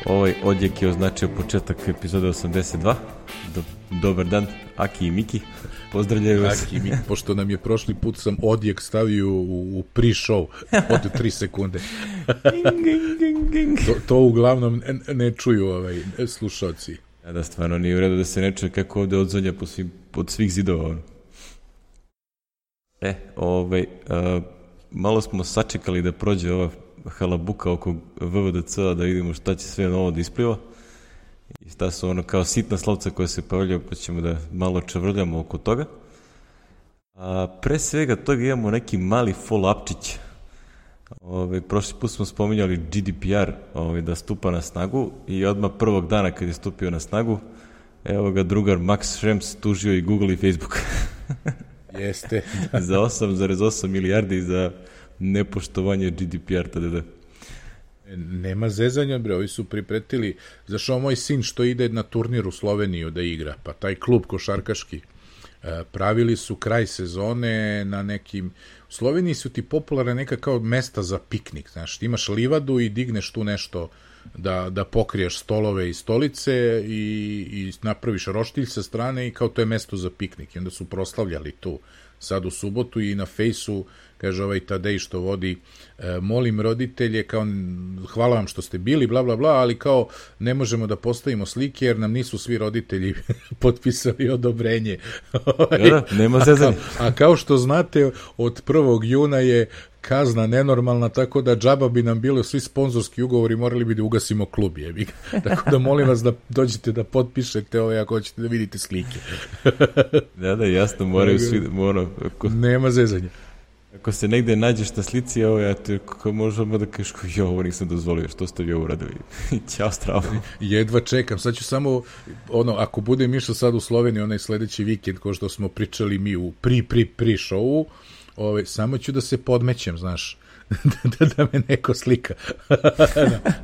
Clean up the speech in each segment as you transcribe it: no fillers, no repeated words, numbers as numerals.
Ovaj odjek je označio početak epizode 82. Dobar dan, Aki i Miki. Pozdravljaju vas. Aki i Miki, pošto nam je prošli put sam odjek stavio u pre-show od 3 sekunde. to uglavnom ne čuju slušalci. Da, stvarno nije u redu da se ne čuje kako ovde odzvanja pod svih zidova. Malo smo sačekali da prođe ova halabuka oko VVDC-a da vidimo šta će sve novo da ispliva i šta su kao sitna slovca koja se pojavljaju, pa ćemo da malo čavrljamo oko toga. Pre svega toga imamo neki mali follow-upčić. Prošli put smo spominjali GDPR da stupa na snagu i odmah prvog dana kad je stupio na snagu, evo ga drugar Max Schrems tužio i Google i Facebook. Jeste. Za 8,8 milijardi za nepoštovanje GDPR tada. Nema zezanja, bre, ovi su pripretili, zašto moj sin što ide na turnir u Sloveniju da igra, pa taj klub košarkaški, pravili su kraj sezone na nekim, u Sloveniji su ti popularne neka kao mesta za piknik, znaš, ti imaš livadu i digneš tu nešto da pokriješ stolove i stolice i napraviš roštilj sa strane i kao to je mesto za piknik i onda su proslavljali tu sad u subotu i na fejsu kaže ovaj Tadej što vodi, molim roditelje, kao hvala vam što ste bili, bla, bla, bla, ali kao ne možemo da postavimo slike jer nam nisu svi roditelji potpisali odobrenje. Nema zezanja. A kao što znate, od 1. juna je kazna nenormalna, tako da džaba bi nam bilo svi sponzorski ugovori, morali bi da ugasimo klub, jebi. Tako da molim vas da dođete da potpišete ako hoćete da vidite slike. Da, jasno, moraju svi, Nema zezanja. Ako se negde nađeš na slici, možemo da kažeš, ovo nisam dozvolio, što ste vi ovo radili? Ćao, stravo. Jedva čekam, sad ću samo, ako budem išao sad u Sloveniju, onaj sledeći vikend, ko što smo pričali mi u pre-showu, samo ću da se podmećem, znaš, da me neko slika.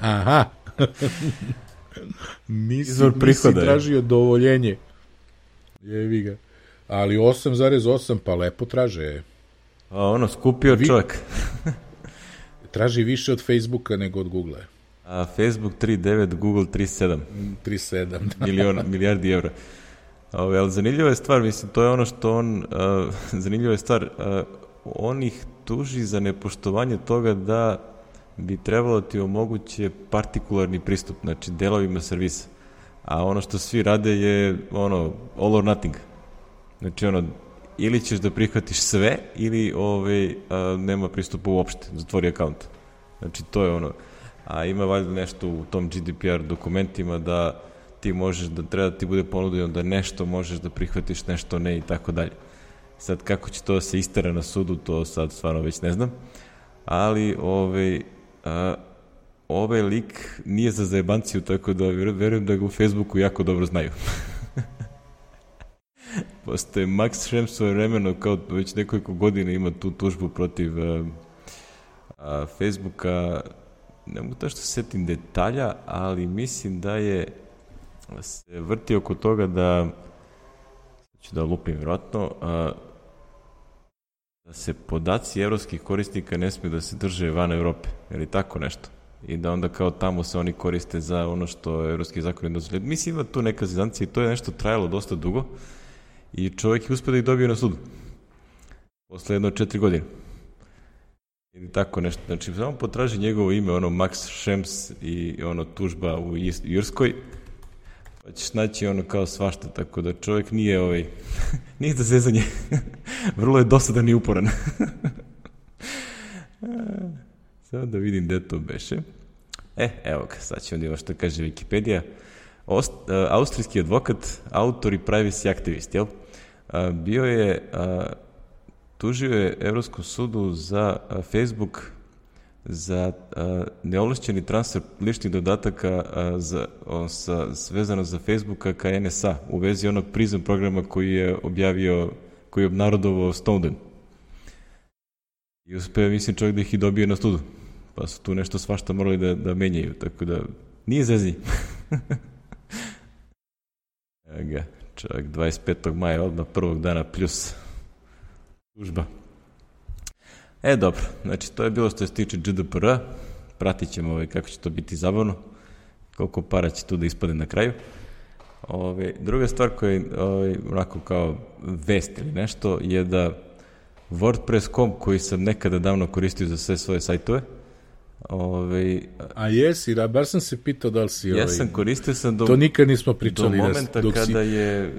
Aha. Nisi tražio dovoljenje. Jevi ga. Ali 8,8, pa lepo traže. Skupio čovjek. Traži više od Facebooka nego od Google. Facebook 3,9, Google 3,7. 3,7, milijardi evra. Ali zanimljiva je stvar, mislim, to je ono što zanimljiva je stvar, on ih tuži za nepoštovanje toga da bi trebalo ti omoguće partikularni pristup, znači delovima servisa. A ono što svi rade je all or nothing. Znači ili ćeš da prihvatiš sve ili nema pristupa uopšte, zatvori akaunt. Znači to je a ima valjda nešto u tom GDPR dokumentima da ti možeš, da treba da ti bude ponuđeno da nešto možeš da prihvatiš, nešto ne i tako dalje. Sad kako će to da se istera na sudu, to sad stvarno već ne znam, ali ovaj lik nije za zajebanciju, tako da verujem da ga u Facebooku jako dobro znaju. Postoje Max Schrems svoje vremeno, kao već nekoliko godina ima tu tužbu protiv Facebooka, ne mogu to što se setim detalja, ali mislim da se vrti oko toga da ću da lupim vjerojatno, da se podaci evropskih korisnika ne smiju da se drže van Evrope, ili tako nešto. I da onda kao tamo se oni koriste za ono što evropski zakon ne dozvoljaju. Mislim ima tu neka zezancija i to je nešto trajalo dosta dugo i čovjek je uspio da ih dobije na sudu. Posle 4 godine. Ili tako nešto. Znači, samo potraži njegovo ime, Max Schrems i tužba u Irskoj, pa ćeš naći kao svašta, tako da čovjek nije nije za zezanje. Vrlo je dosadan i uporan. Samo da vidim gde to beše. Evo ga, sad ćemo vidjeti što kaže Wikipedia. Austrijski advokat, autor i privacy aktivist, jel? Bio je, tužio je Evropskom sudu za Facebook za neovlašćeni transfer ličnih dodataka vezano za Facebooka ka NSA u vezi onog PRISM programa koji je obnarodovao Snowden. I uspeo, mislim, čovjek da ih i dobije na sudu. Pa su tu nešto svašta morali da menjaju, tako da nije zezanje. Evo ga, čovjek 25. maja, odmah prvog dana plus tužba. Dobro, znači to je bilo što se tiče GDPR-a, pratit ćemo kako će to biti zabavno. koliko para će tu da ispade na kraju. Druga stvar koja je onako kao vest ili nešto je da WordPress.com koji sam nekada davno koristio za sve svoje sajtove. A jesi, bar sam se pitao da li si... Jesam, koristio sam to nikad nismo pričali. Do momenta kada je,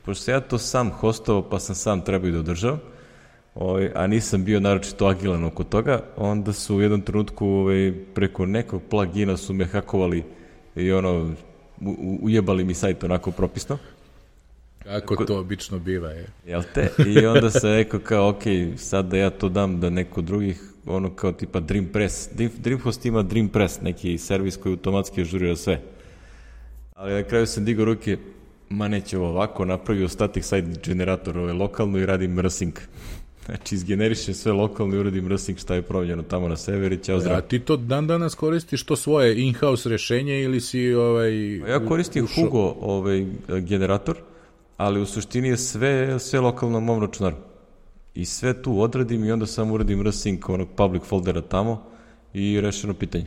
pošto ja to sam hostovao pa sam sam trebao da održavam, a nisam bio naročito agilan oko toga, onda su u jednom trenutku preko nekog plugina su me hakovali i ujebali mi sajt onako propisno. Kako to obično biva, je. Jel te? I onda sam rekao kao, ok, sad da ja to dam da neko drugih, kao tipa Dreampress. Dreamhost ima Dreampress, neki servis koji automatski ažurira sve. Ali na kraju sam digao ruke, neće ovo ovako, napravio static site generator lokalno i radim rsync. Znači, izgeneriše sve lokalno i uradim rsync šta je promenjeno tamo na server i ćao zdrav. A ti to dan danas koristiš to svoje in-house rešenje ili si Ja koristim Hugo generator, ali u suštini je sve lokalno na mom računaru. I sve tu odradim i onda samo uradim rsync onog public foldera tamo i rešeno pitanje.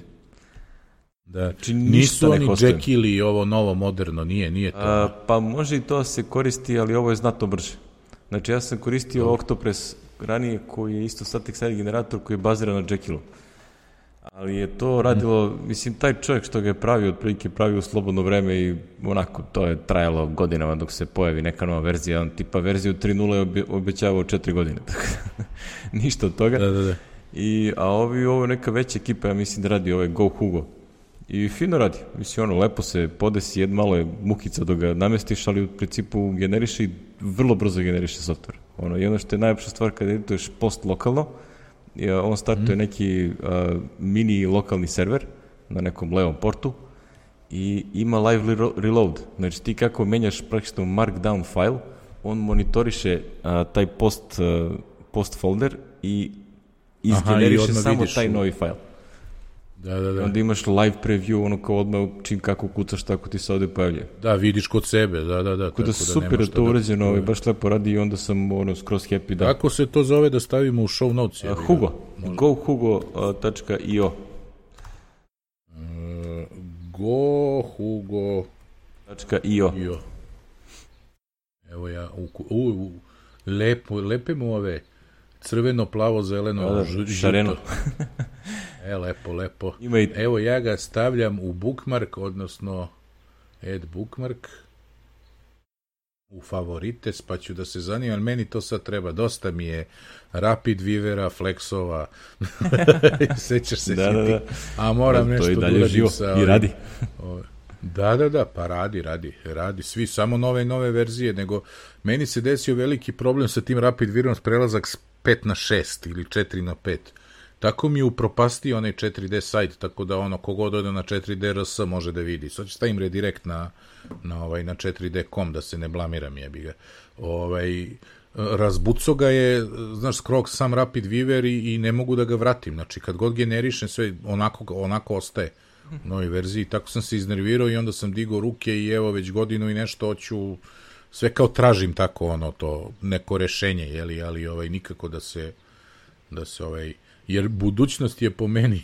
Da, znači, nisu oni Jekyll i ovo novo moderno, nije to. Pa može i to se koristi, ali ovo je znatno brže. Znači ja sam koristio Octopress ranije koji je isto static site generator koji je baziran na Jekyllu. Ali je to radilo, mislim, taj čovjek što ga je pravio, otprilike pravio u slobodno vreme i onako, to je trajalo godinama dok se pojavi neka nova verzija. On tipa verziju 3.0 je obećavao 4 godine. Ništa od toga. Da. A ovo neka veća ekipa, ja mislim da radi Go Hugo. I fino radi. Mislim, lepo se podesi, malo je mukica dok ga namestiš, ali u principu generiše i vrlo brzo generiše software. Jedno što je najlepša stvar kada edituješ post lokalno, on startuje neki mini lokalni server na nekom levom portu i ima live reload. Znači ti kako menjaš praktično markdown file, on monitoriše taj post folder i izgeneriše samo taj novi file. Da. Onda imaš live preview, kao odmah čim kako kucaš, tako ti se ovde pojavlja. Da, vidiš kod sebe, da. Tako da super je to urađeno, baš lepo radi i onda sam skroz happy. Da. Kako se to zove da stavimo u show notes? Hugo, gohugo.io gohugo.io Evo ja, lepe mu ove crveno, plavo, zeleno, šareno. Lepo. Evo ja ga stavljam u bookmark, odnosno add bookmark u favorites, pa ću da se zanimam, meni to sad treba, dosta mi je Rapid Vivera, Flexova, sećaš se da. A moram nešto da uradim sa... I radi. Da, pa radi, svi, samo nove verzije, nego meni se desio veliki problem sa tim Rapid Viverom, prelazak s 5 na 6 ili 4 na 5. Tako mi je upropastio onaj 4D sajt, tako da kogod ode na 4D RS može da vidi. Sad ću stavim redirekt na 4D.com da se ne blamiram, jebi ga. Razbuco ga je, znaš, skrog sam Rapid Viver i ne mogu da ga vratim. Znači, kad god generišem sve, onako ostaje u novoj verziji. Tako sam se iznervirao i onda sam digao ruke i evo već godinu i nešto hoću, sve kao tražim tako to neko rešenje, jeli, ali nikako da se jer budućnost je po meni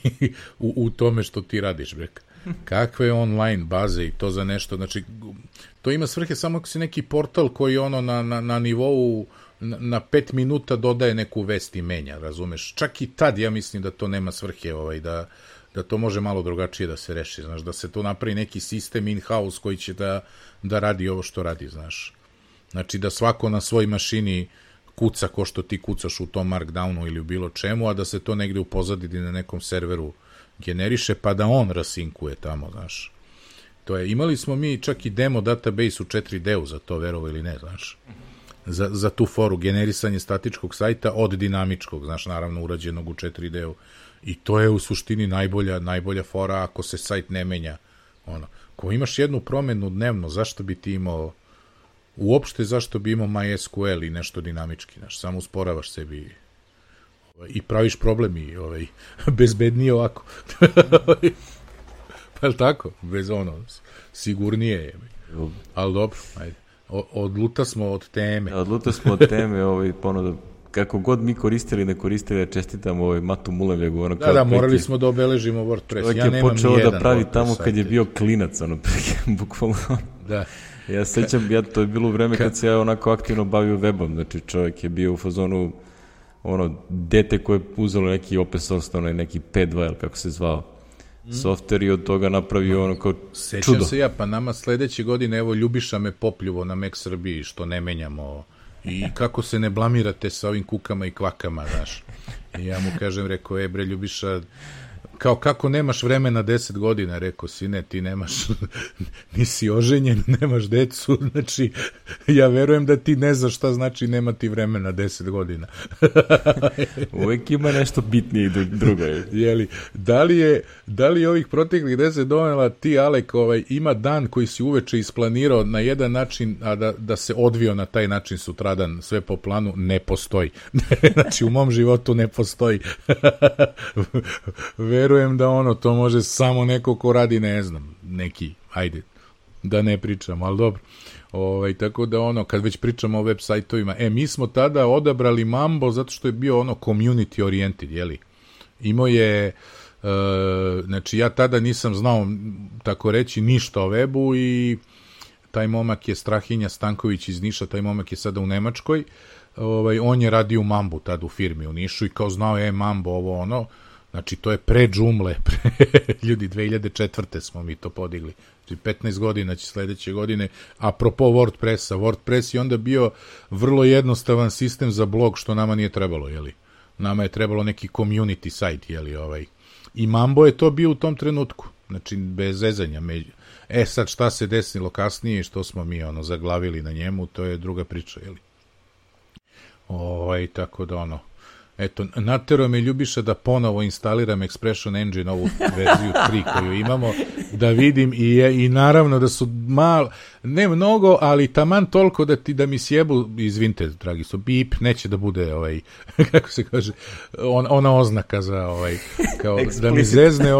u tome što ti radiš, brek. Kakve online baze i to za nešto, znači, to ima svrhe samo ako si neki portal koji na nivou na 5 minuta dodaje neku vest i menja, razumeš? Čak i tad ja mislim da to nema svrhe, da to može malo drugačije da se reši, znaš, da se to napravi neki sistem in-house koji će da radi ovo što radi, znaš. Znači, da svako na svoj mašini kuca ko što ti kucaš u tom markdownu ili u bilo čemu, a da se to negde u pozadini na nekom serveru generiše, pa da on rasinkuje tamo, znaš. Imali smo mi čak i demo database u 4D-u za to, verovo ili ne, znaš. Za tu foru, generisanje statičkog sajta od dinamičkog, znaš, naravno urađenog u 4D-u. I to je u suštini najbolja fora ako se sajt ne menja. Ko imaš jednu promenu dnevno, zašto bi ti imao uopšte zašto bi imao MySQL i nešto dinamički, znaš, samo usporavaš sebi i praviš problem i bezbednije ovako. Pa je tako? Bez sigurnije je. Ali dobro, ajde. Odluta smo od teme. Odluta smo od teme, ponovno kako god mi koristili, ne koristili, čestitam Matu Mulevljegu. Ono, da, morali smo da obeležimo WordPress. Čovjek je počeo da pravi tamo kad je bio klinac, bukvalno. Da. Ja sećam, to je bilo u vreme kad se ja onako aktivno bavio webom, znači čovjek je bio u fazonu dete koje je uzelo neki open source, neki P2, kako se zvao, softver i od toga napravio kao čudo. Sećam se ja, pa nama sledeće godine, evo, Ljubiša me popljuvo na Mac Srbiji, što ne menjamo, i kako se ne blamirate sa ovim kukama i kvakama, znaš. I ja mu kažem, rekao, bre, Ljubiša, kao kako nemaš vremena 10 godina, rekao, sine, ti nemaš, nisi oženjen, nemaš decu, znači, ja verujem da ti ne znaš šta znači nema ti vremena 10 godina. Uvijek ima nešto bitnije i drugo. Jeli, da li je ovih proteklih 10 donela ti, Alek, ima dan koji si uveče isplanirao na jedan način, a da se odvio na taj način sutradan, sve po planu, ne postoji. Znači, u mom životu ne postoji. Verujem da to može samo neko ko radi, ne znam, neki, ajde, da ne pričam, ali dobro. Tako da kad već pričamo o web sajtovima, mi smo tada odabrali Mambo zato što je bio community oriented, jeli? Imao je, znači ja tada nisam znao, tako reći, ništa o webu i taj momak je Strahinja Stanković iz Niša, taj momak je sada u Nemačkoj, on je radio u Mambu tada u firmi u Nišu i kao znao Mambo ovo znači to je pre Joomla, ljudi 2004. smo mi to podigli, znači 15 godina će sledeće godine, apropo WordPressa, WordPress je onda bio vrlo jednostavan sistem za blog, što nama nije trebalo, jeli, nama je trebalo neki community site, jeli, i Mambo je to bio u tom trenutku, znači bez zezanja, sad šta se desilo kasnije, što smo mi zaglavili na njemu, to je druga priča, jeli, tako da eto, naterao me Ljubiša da ponovo instaliram Expression Engine, ovu verziju 3 koju imamo, da vidim i naravno da su ne mnogo, ali taman toliko da mi sjebu, izvinite, dragi su, bip, neće da bude, kako se kaže, ona oznaka za, kao da mi zezne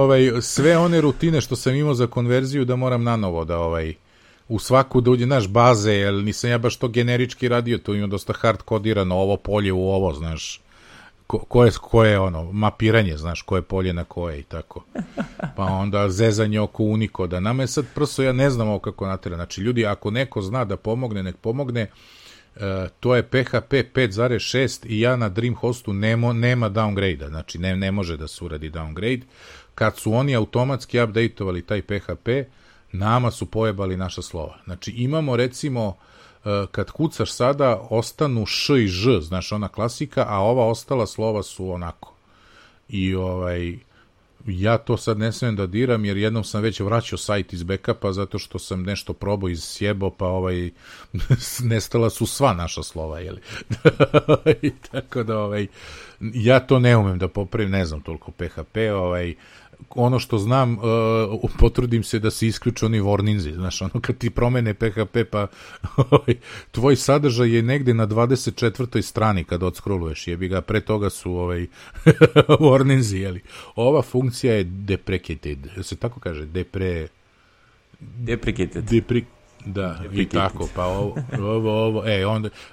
sve one rutine što sam imao za konverziju, da moram nanovo da, u svaku da uđe, znaš, baze, jer nisam ja baš to generički radio, to ima dosta hard kodirano, ovo polje u ovo, znaš, koje mapiranje, znaš, koje polje na koje i tako. Pa onda zezanje oko Unikoda. Nama je sad prosto, ja ne znam ovo kako natera. Znači, ljudi, ako neko zna da pomogne, nek pomogne. To je PHP 5.6 i ja na Dreamhostu nema downgrade-a. Znači, ne može da se uradi downgrade. Kad su oni automatski updateovali taj PHP, nama su pojebali naša slova. Znači, imamo, recimo, kad kucaš sada, ostanu š i ž, znaš, ona klasika, a ova ostala slova su onako. I ja to sad ne smijem da diram, jer jednom sam već vraćao sajt iz backupa, zato što sam nešto probao iz sjebo, pa nestala su sva naša slova, jeli? Tako da, ja to ne umem da popravim, ne znam toliko PHP, ono što znam, potrudim se da se isključe oni warninzi, znaš, kad ti promene PHP, pa tvoj sadržaj je negde na 24. strani kad odskroluješ, jebi ga, pre toga su warninzi, jeli. Ova funkcija je deprecated, se tako kaže, deprecated. Da, i tako, pa ovo,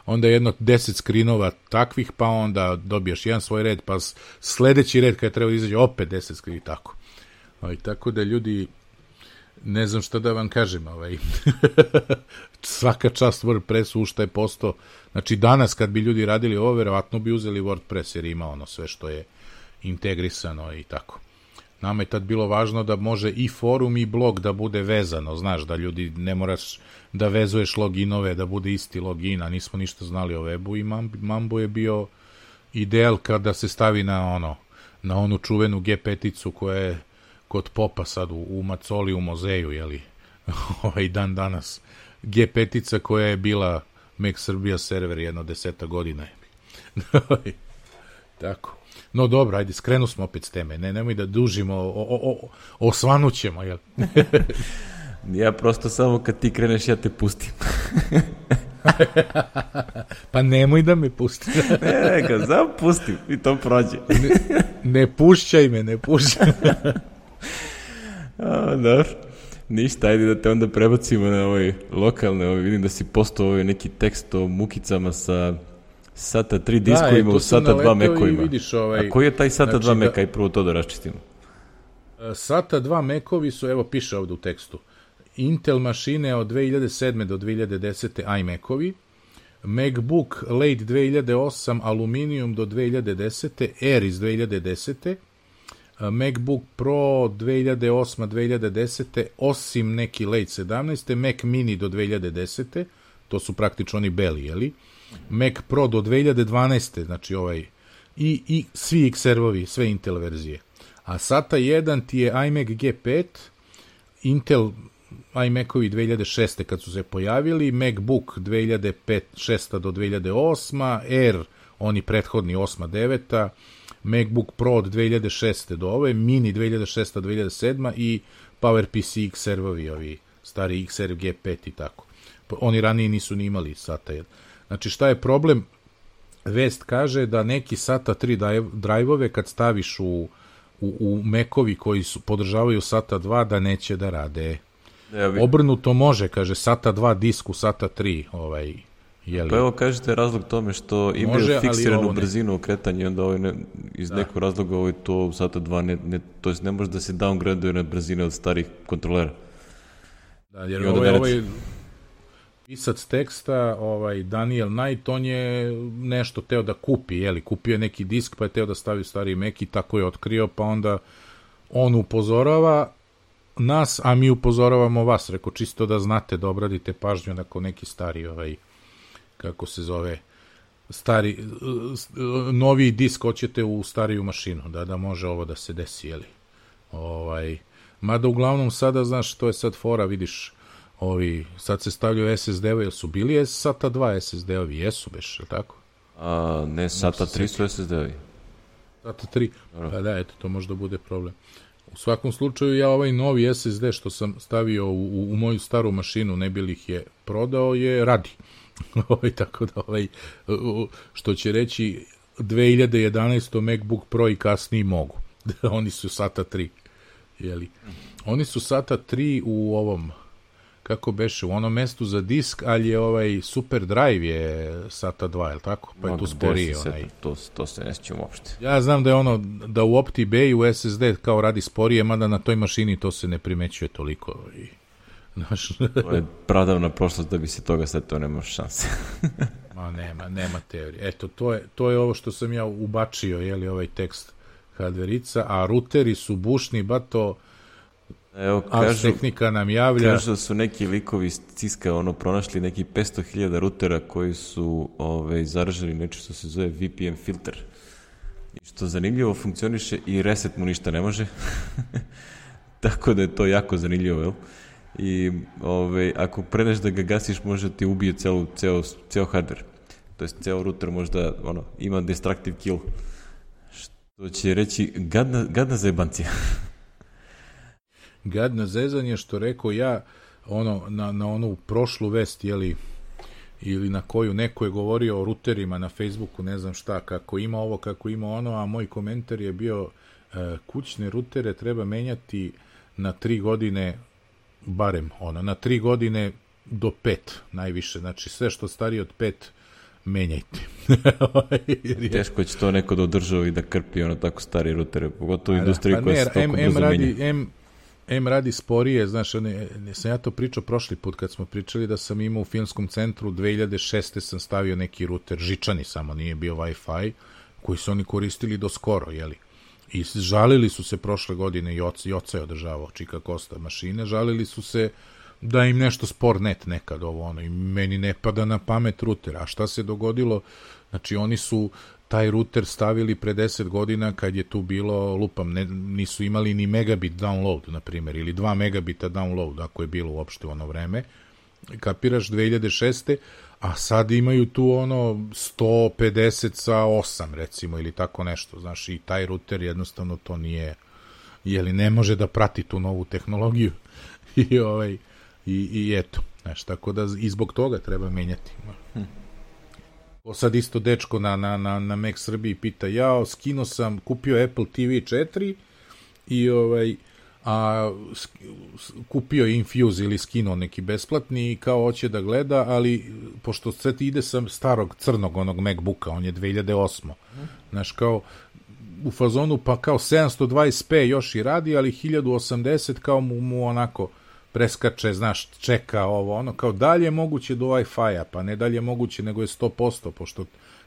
onda jedno 10 skrinova takvih, pa onda dobijaš jedan svoj red, pa sledeći red kada treba izađe opet 10 skrinova i tako. Tako da, ljudi, ne znam šta da vam kažem, svaka čast WordPressu, u šta je postao, znači danas kad bi ljudi radili ovo, verovatno bi uzeli WordPress, jer ima sve što je integrisano i tako. Nama je tad bilo važno da može i forum i blog da bude vezano, znaš, da ljudi ne moraš da vezuješ loginove, da bude isti login, a nismo ništa znali o webu i Mambo je bio ideal kada se stavi na onu čuvenu G5-icu koja je kod Popa sad u Macoli u muzeju, jeli, dan danas. G5-ica koja je bila Mac Srbija server jedno 10 godina. Tako. No dobro, ajde, skrenu smo opet s teme. Nemoj da dužimo, osvanućemo, jel? Ja prosto samo kad ti kreneš, ja te pustim. Pa nemoj da me pusti. Ne, kad sam pustim i to prođe. Ne pušćaj me, ne pušćaj me. Dobro. Ništa, ajde da te onda prebacimo na lokalne, vidim da si postao neki tekst o mukicama sa SATA 3 diskovima u SATA 2 mekovima. Vidiš, a koji je taj SATA 2 meka i prvo to da raščistimo? SATA 2 mekovi su, evo piše ovde u tekstu, Intel mašine od 2007. do 2010. iMacovi, MacBook Late 2008 Aluminium do 2010. Air iz 2010. MacBook Pro 2008-2010. osim neki Late 17. Mac Mini do 2010. To su praktično oni beli, jeli? Mac Pro do 2012. Znači ovaj i svi X-servovi, sve Intel verzije. A SATA 1 ti je iMac G5, Intel iMacovi 2006. kad su se pojavili, MacBook 2006. do 2008. Air, oni prethodni 8. 9. MacBook Pro od 2006. do ove, Mini 2006. 2007. i PowerPC X-servovi, ovi stari X-serv G5 i tako. Oni ranije nisu ni imali SATA 1. Znači šta je problem? Vest kaže da neki SATA 3 drajvove kad staviš u Macovi koji podržavaju SATA 2 da neće da rade. Obrnuto može, kaže, SATA 2 disku, SATA 3, jeli. Pa evo kažete razlog tome što imaju fiksiranu brzinu okretanja i onda iz nekog razloga to SATA 2 to jest ne može da se downgraduje na brzine od starih kontrolera. Da, jer ovaj pisac teksta, Daniel Knight, on je nešto teo da kupi, jeli, kupio je neki disk pa je teo da stavi stari Mac i tako je otkrio, pa onda on upozorava nas, a mi upozoravamo vas, reko, čisto da znate da obradite pažnju na neki stari, kako se zove, stari, novi disk hoćete u stariju mašinu, da može ovo da se desi, jeli. Mada uglavnom sada, znaš, to je sad fora, vidiš, sad se stavljaju SSD-ovi, jel su bili SATA 2 SSD-ovi? Jesu, beš, je tako? Ne, SATA 3 su SSD-ovi. SATA 3, pa da, eto, to možda bude problem. U svakom slučaju, ja ovaj novi SSD što sam stavio u moju staru mašinu, ne bih ih je prodao, radi. Tako da, što će reći, 2011. MacBook Pro i kasniji mogu. Oni su SATA 3. Jeli? Oni su SATA 3 u ovom, kako beše, u onom mestu za disk, ali je Super Drive je SATA 2, je li tako? Pa je tu sporije. To se ne sjećam uopšte. Ja znam da je da u OptiBay SSD kao radi sporije, mada na toj mašini to se ne primećuje toliko. To je pradavna prošlost da bi se toga setio, nema šanse. Ma nema teorije. Eto, to je ovo što sam ja ubačio, jeli, ovaj tekst hardverica, a ruteri su bušni, bato. Evo, Tehnika nam javlja. Kažu da su neki likovi iz Ciska pronašli neki 500.000 rutera koji su zaraženi nešto što se zove VPN filter. I što zanimljivo funkcioniše i reset mu ništa ne može. Tako da je to jako zanimljivo, jel? I ako predeš da ga gasiš, može ti ubije ceo hardware. To jest ceo router možda ima destructive kill. Što će reći gadna zajebancija. Gadno zezanje, što rekao ja, na onu prošlu vest, jeli, ili na koju neko je govorio o ruterima na Facebooku, ne znam šta, kako ima ovo, kako ima ono, a moj komentar je bio kućne rutere treba menjati na 3 godine, barem na 3 godine do 5 najviše, znači sve što starije od 5 menjajte. Teško će to neko da održava i da krpi tako stari rutere, pogotovo u industriji koja se toliko brzo menja. Radi sporije, znaš, sam ja to pričao prošli put kad smo pričali da sam imao u filmskom centru 2006. sam stavio neki ruter, žičani samo, nije bio Wi-Fi, koji su oni koristili do skoro, jeli. I žalili su se prošle godine, i oca je održavao Čika Kosta mašine, žalili su se da im nešto spor net nekad i meni ne pada na pamet ruter. A šta se dogodilo? Znači, oni su taj ruter stavili pre 10 godina kad je tu bilo, lupam, nisu imali ni megabit download, na primjer, ili 2 megabita download, ako je bilo uopšte u ono vreme, kapiraš 2006. A sad imaju tu 150 sa 8, recimo, ili tako nešto, znaš, i taj ruter jednostavno to nije, jeli, ne može da prati tu novu tehnologiju i eto, znaš, tako da i zbog toga treba menjati. Sad isto dečko na Mac Srbiji pita, skinuo sam, kupio Apple TV 4 i a kupio je Infuse ili skinuo neki besplatni i kao hoće da gleda, ali pošto sve ti ide sa starog crnog onog MacBooka, on je 2008. Znaš, kao u fazonu pa kao 720p još i radi, ali 1080 kao mu onako preskače, znaš, čeka ovo, ono, kao dalje je moguće do Wi-Fi-a, pa ne dalje je moguće, nego je 100%, pošto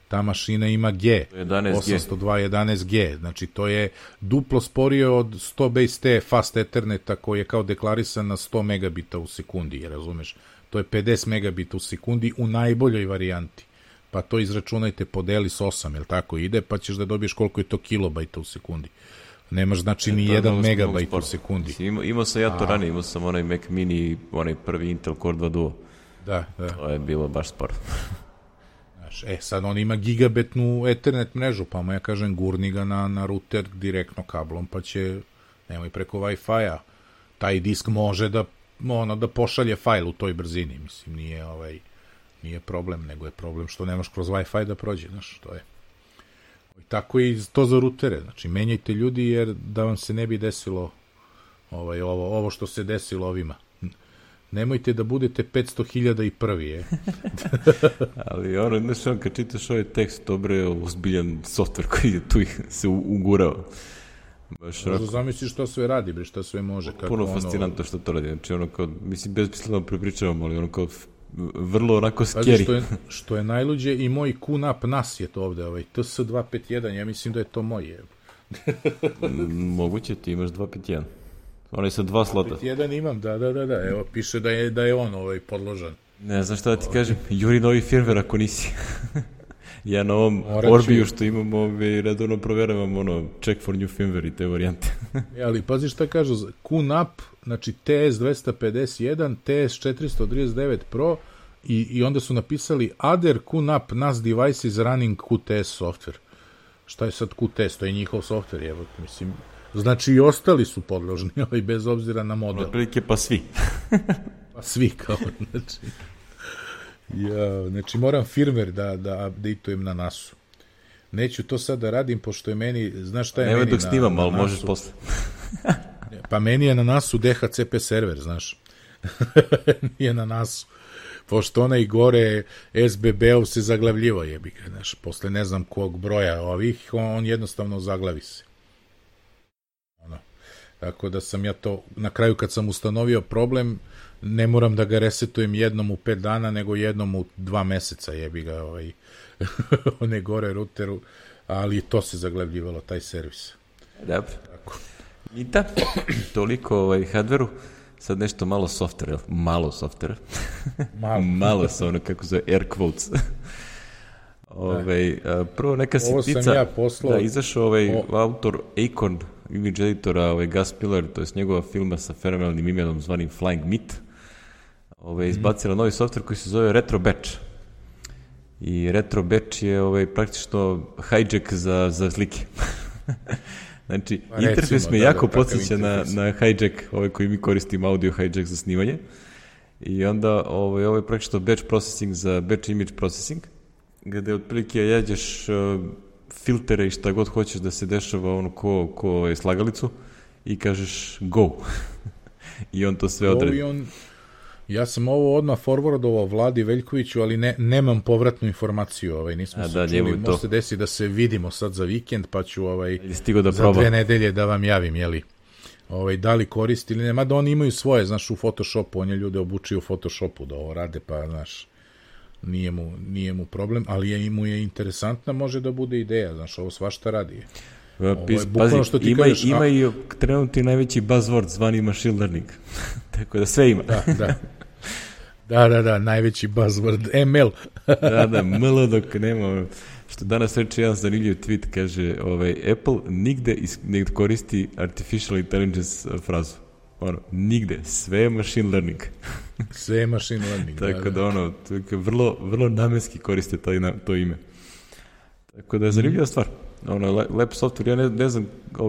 ta mašina ima G, 802.11G, znači to je duplo sporije od 100 base T fast Etherneta koji je kao deklarisan na 100 megabita u sekundi, razumeš? To je 50 megabita u sekundi u najboljoj varijanti. Pa to izračunajte, podeli s 8, jel tako ide, pa ćeš da dobiješ koliko je to kilobajta u sekundi. Nemaš znači ni 1 megabajt u sekundi. Imao sam ja to ranije, imao sam onaj Mac Mini, onaj prvi Intel Core 2 Duo. Da. To je bilo baš sporo. Sad on ima gigabitnu Ethernet mrežu, pa mu ja kažem gurni ga na router direktno kablom, pa će, nemoj preko Wi-Fi-a, taj disk može da pošalje fajl u toj brzini, mislim, nije problem, nego je problem što nemaš kroz Wi-Fi da prođe, znaš, to je. Tako i to za rutere, znači, menjajte ljudi, jer da vam se ne bi desilo ovo što se desilo ovima. Nemojte da budete 500.000 i prvi, je. Ali znaš, kad čitaš ovaj tekst, dobro je ozbiljan softver koji je tu se ugurao. Zamisliš što sve radi, bre, što sve može. Puno fascinantno što to radi. Znači, mislim, bezmisleno prepričavam, ali kao vrlo onako scary. Pazi, što je najluđe, i moj QNAP NAS je to ovde, TS251, ja mislim da je to moj. Moguće, ti imaš 251. On je sa 2 slota. 251 imam, da. Evo, piše da je on podložan. Ne znam šta da ti kažem, juri novi firmware ako nisi. Ja na ovom Orbiju što imam redovno proveravam check for new firmware i te varijante. Ali pazi šta kažu, QNAP, znači TS251, TS439 Pro i onda su napisali other QNAP NAS devices running QTS software. Šta je sad QTS? To je njihov software, evo, mislim. Znači i ostali su podložni, bez obzira na model. Otprilike pa svi. Pa svi kao, znači. Znači moram firmware da updateujem na NAS-u. Neću to sad da radim, pošto je meni, znaš šta je meni na NAS-u? Nema dok snimam, ali možeš posle. Pa meni je na NAS-u DHCP server, znaš. Nije na NAS-u. Pošto onaj gore SBB-ov se zaglavljivo jebi ga, znaš. Posle ne znam kog broja ovih, on jednostavno zaglavi se. Tako da sam ja to, na kraju kad sam ustanovio problem, ne moram da ga resetujem jednom u 5 dana, nego jednom u 2 meseca jebi ga one gore routeru, ali to se zaglavljivalo, taj servis. Dobro. I da, toliko hardveru, sad nešto malo softvera, malo softvera. Malo sa kako zove, air quotes. Prvo neka sitnica. Ovo sam ja poslao. Da, izašao autor Acon, image editora, Gus Miller, to je njegova filma sa fenomenalnim imenom zvanim Flying Meat, izbacila novi softver koji se zove Retro Batch. I Retro Batch je praktično hijack za slike. Znači, interfejs me jako podsjeća na hijack, koji mi koristimo, audio hijack za snimanje. I onda ovo je praktično batch processing za batch image processing, gde otprilike jađeš filtere i šta god hoćeš da se dešava ko je slagalicu i kažeš go. I on to sve odredi. Ja sam ovo odmah forwardovao Vladi Veljkoviću, ali nemam povratnu informaciju. Nismo se čuli, može se desiti da se vidimo sad za vikend, pa ću za 2 nedelje da vam javim, jeli? Da li koristi ili ne, mada oni imaju svoje, znaš, u Photoshopu, on je ljude obučio u Photoshopu da ovo rade, pa, znaš, nije mu problem, ali mu je interesantna, može da bude ideja, znaš, ovo svašta radi. Pazi, ima i trenutni najveći buzzword zvani machine learning, tako da sve ima. Da, najveći buzzword, ML. Da, ML dok nema, što danas reče jedan zanimljiv tweet, kaže, Apple nigde ne koristi artificial intelligence frazu. Nigde, sve je machine learning. Sve je machine learning. Tako da vrlo, vrlo namenski koriste to ime. Tako da je zanimljiva stvar. Lep software, ja ne znam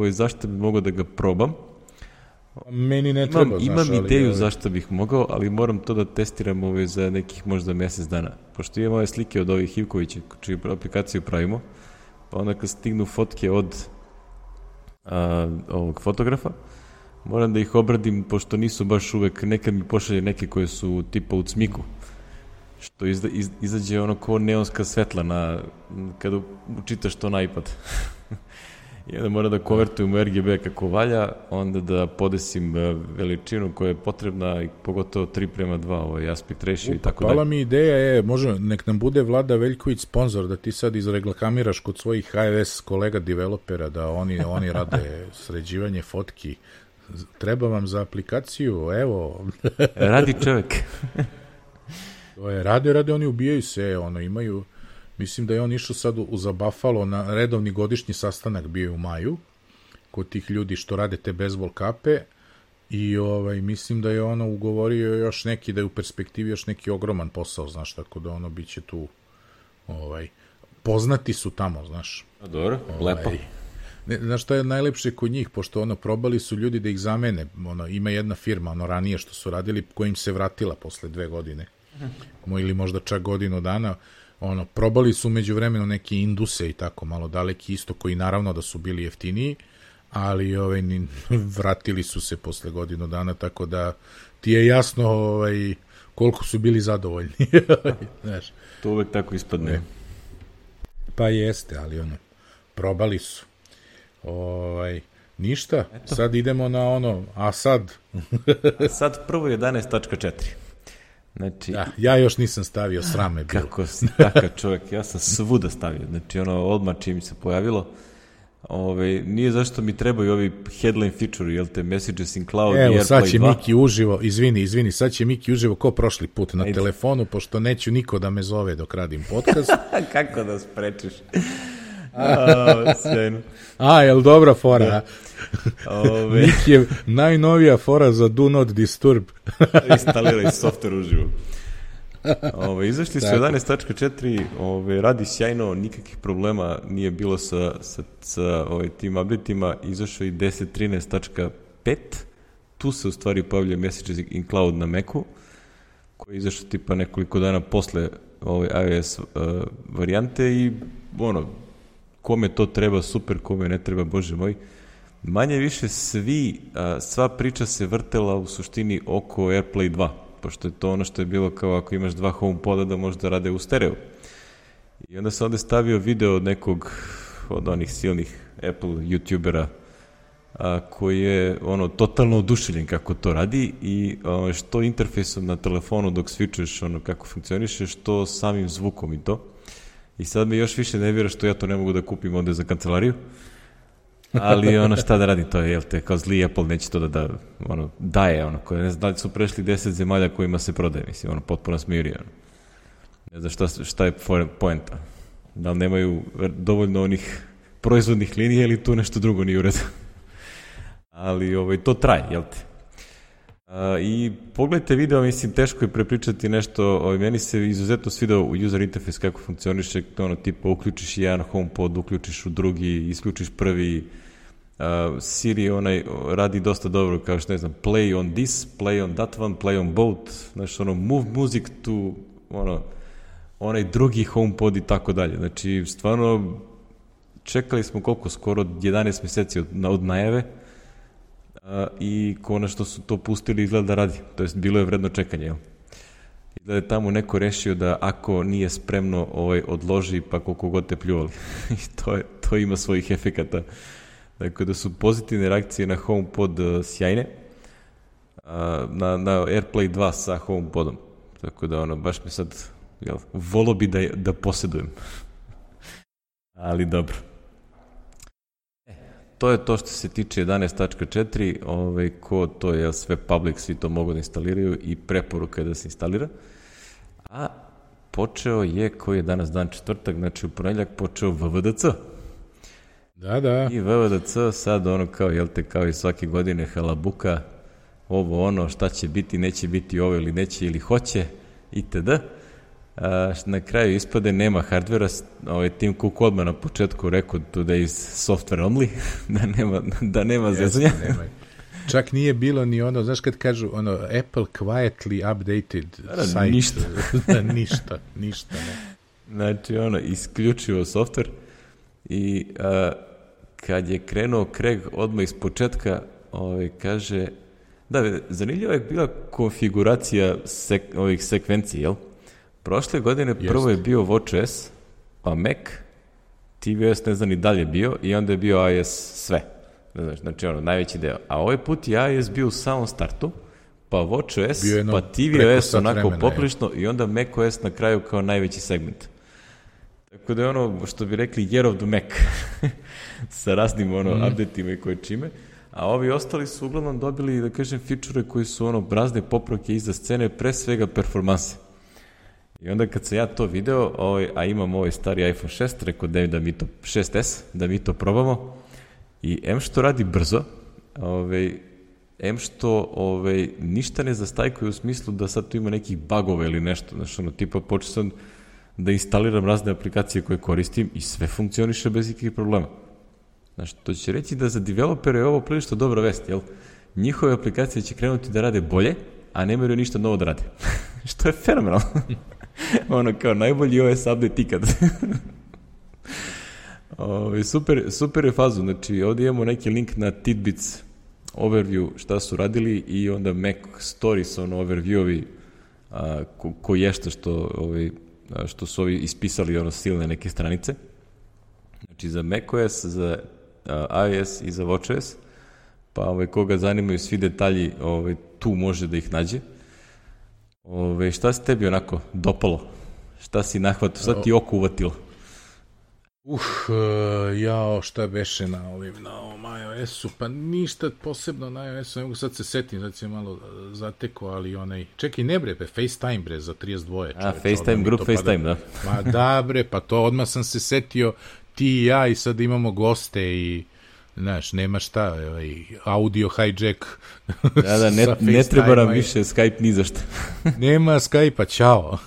zašto bi mogao da ga probam. Meni ne treba, imam ideju zašto bih mogao, ali moram to da testiram za nekih možda mjesec dana. Pošto imam ove slike od ovih Ivkovića, čiju aplikaciju pravimo, pa onda kad stignu fotke od ovog fotografa, moram da ih obradim, pošto nisu baš uvek, nekad mi pošalje neke koje su tipa u cmiku, što izađe ono ko neonska svetla kada čitaš to na iPad. I onda moram da konvertujem u RGB kako valja, onda da podesim veličinu koja je potrebna i pogotovo 3:2, ovaj aspect ratio i tako dalje. Pala mi ideja nek nam bude Vlada Veljković sponsor, da ti sad izreklamiraš kod svojih iOS kolega developera, da oni rade sređivanje fotki. Treba vam za aplikaciju, evo. Radi čovek. To je, rade, oni ubijaju se, imaju. Mislim da je on išao sad za Buffalo na redovni godišnji sastanak, bio je u maju, kod tih ljudi što rade te bejzbol kape, i mislim da je ugovorio još neki, da je u perspektivi još neki ogroman posao, znaš, tako da biće tu, poznati su tamo, znaš. A dobro, lepo. Znaš šta je najlepše kod njih, pošto probali su ljudi da ih zamene, ima jedna firma, ranije što su radili, koja im se vratila posle 2 godine, ili možda čak godinu dana, probali su među vremenu neke Induse i tako malo daleki isto, koji naravno da su bili jeftiniji, ali vratili su se posle godinu dana, tako da ti je jasno koliko su bili zadovoljni. Znaš. To uvek tako ispadne. Pa jeste, ali probali su. Ništa, eto. Sad idemo na a sad? Sad prvo 11.4. Znači, ja još nisam stavio, srame bilo. Kako si takav čovjek, ja sam svuda stavio, znači odmah čim se pojavilo, nije zašto mi trebaju ovi headline feature, jel te, Messages in Cloud i AirPlay 2. Evo, sad će Miki uživo, izvini, sad će Miki uživo ko prošli put na telefonu, pošto neću niko da me zove dok radim podcast. Kako da sprečiš? Sjajno. Jel dobra fora? Miki je najnovija fora za Do Not Disturb. Instaliraj software uživo. Izašli su 11.4, radi sjajno, nikakvih problema nije bilo sa tim updateima. Izašao i 10.13.5, tu se u stvari pojavlja Messages in Cloud na Macu, koji je izašao tipa nekoliko dana posle iOS varijante i kome to treba, super, kome ne treba, bože moj. Manje više sva priča se vrtela u suštini oko AirPlay 2, pošto je to ono što je bilo kao ako imaš 2 HomePoda da možda rade u stereo. I onda sam ovde stavio video od nekog od onih silnih Apple YouTubera koji je totalno oduševljen kako to radi i što interfejsom na telefonu dok switchuješ kako funkcioniše, što samim zvukom i to. I sad me još više nervira što ja to ne mogu da kupim ovde za kancelariju. Ali šta da radim, to je, kao zli Apple neće to da daje, koje ne znam da li su prešli 10 zemalja kojima se prodaje, mislim, potpuno smirije. Ne znam šta je poenta. Da li nemaju dovoljno onih proizvodnih linija ili tu nešto drugo nije u redu. Ali to traje, jel te? I pogledajte video, mislim, teško je prepričati nešto, meni se izuzetno svidao u user interface kako funkcioniše, tipa uključiš jedan HomePod, uključiš u drugi, isključiš prvi, Siri radi dosta dobro, kao što ne znam, play on this, play on that one, play on both, znači move music to onaj drugi HomePod i tako dalje, znači stvarno čekali smo koliko, skoro 11 meseci od najave, i konačno su to pustili, izgleda da radi, to jest bilo je vredno čekanje, jel? Izgleda je tamo neko rešio da ako nije spremno odloži, pa koliko god te pljuvali. I to ima svojih efekata. Dakle, da su pozitivne reakcije na HomePod sjajne, na AirPlay 2 sa HomePodom. Tako da baš mi sad, volo bi da posjedujem. Ali dobro. To je to što se tiče 11.4, ko to je sve public, svi to mogu da instaliraju i preporuka je da se instalira. A počeo je, koji je danas dan četvrtak, znači u ponedeljak počeo VVDC. Da. I VVDC sad kao i svake godine halabuka, šta će biti, neće biti ovo ili neće ili hoće, itd. Na kraju ispade nema hardvera, Tim Cook odmah na početku rekao today is software only, da nema zezanja. Čak nije bilo ni znaš kad kažu, Apple quietly updated site. Ništa, ne. Znači, isključivo software i kad je krenuo Craig odmah iz početka, kaže, da, zanimljiva je bila konfiguracija ovih sekvencij, jel? Prošle godine prvo je bio WatchOS, pa Mac, tvOS ne znam ni dalje bio i onda je bio iOS sve. Znači najveći deo. A ovaj put je iOS bio u samom startu, pa WatchOS, pa tvOS onako poplično i onda macOS na kraju kao najveći segment. Tako da je ono što bi rekli year of the Mac sa raznim updateima i koje čime. A ovi ostali su uglavnom dobili, da kažem, fičure koji su razne popravke iza scene, pre svega performanse. I onda kad sam ja to video, a imam ovaj stari iPhone 6, rekao da mi to 6S, da mi to probamo. I M što radi brzo, M što ništa ne zastajkuje u smislu da sad tu ima nekih bugova ili nešto. Znaš, tipa počeo sam da instaliram razne aplikacije koje koristim i sve funkcioniše bez ikakvih problema. Znaš, to će reći da za developere je ovo prilično dobra vest, jel? Njihove aplikacije će krenuti da rade bolje, a ne moraju ništa novo da rade. Što je fenomenalno. Kao najbolji OS update ikad. Super je fazu. Znači, ovdje imamo neki link na Tidbits overview šta su radili i onda Mac Stories, overview-ovi koji je što su ovi ispisali silne neke stranice. Znači, za macOS, za iOS i za WatchOS, pa koga zanimaju svi detalji, tu može da ih nađe. Šta se tebi onako dopalo? Šta si nahvatio? Šta ti oko uvatilo? Šta beše na ovom iOS-u? Pa ništa posebno na iOS-u, ne mogu sad se setim, sad se malo zateko, ali čekaj, ne bre, FaceTime bre, za 32. FaceTime, grup FaceTime, da. Ma da bre, pa to odmah sam se setio, ti i ja, i sad imamo goste i znaš, nema šta, audio hijack. Da, ne treba nam više Skype ni za šta. Nema Skype-a, čao.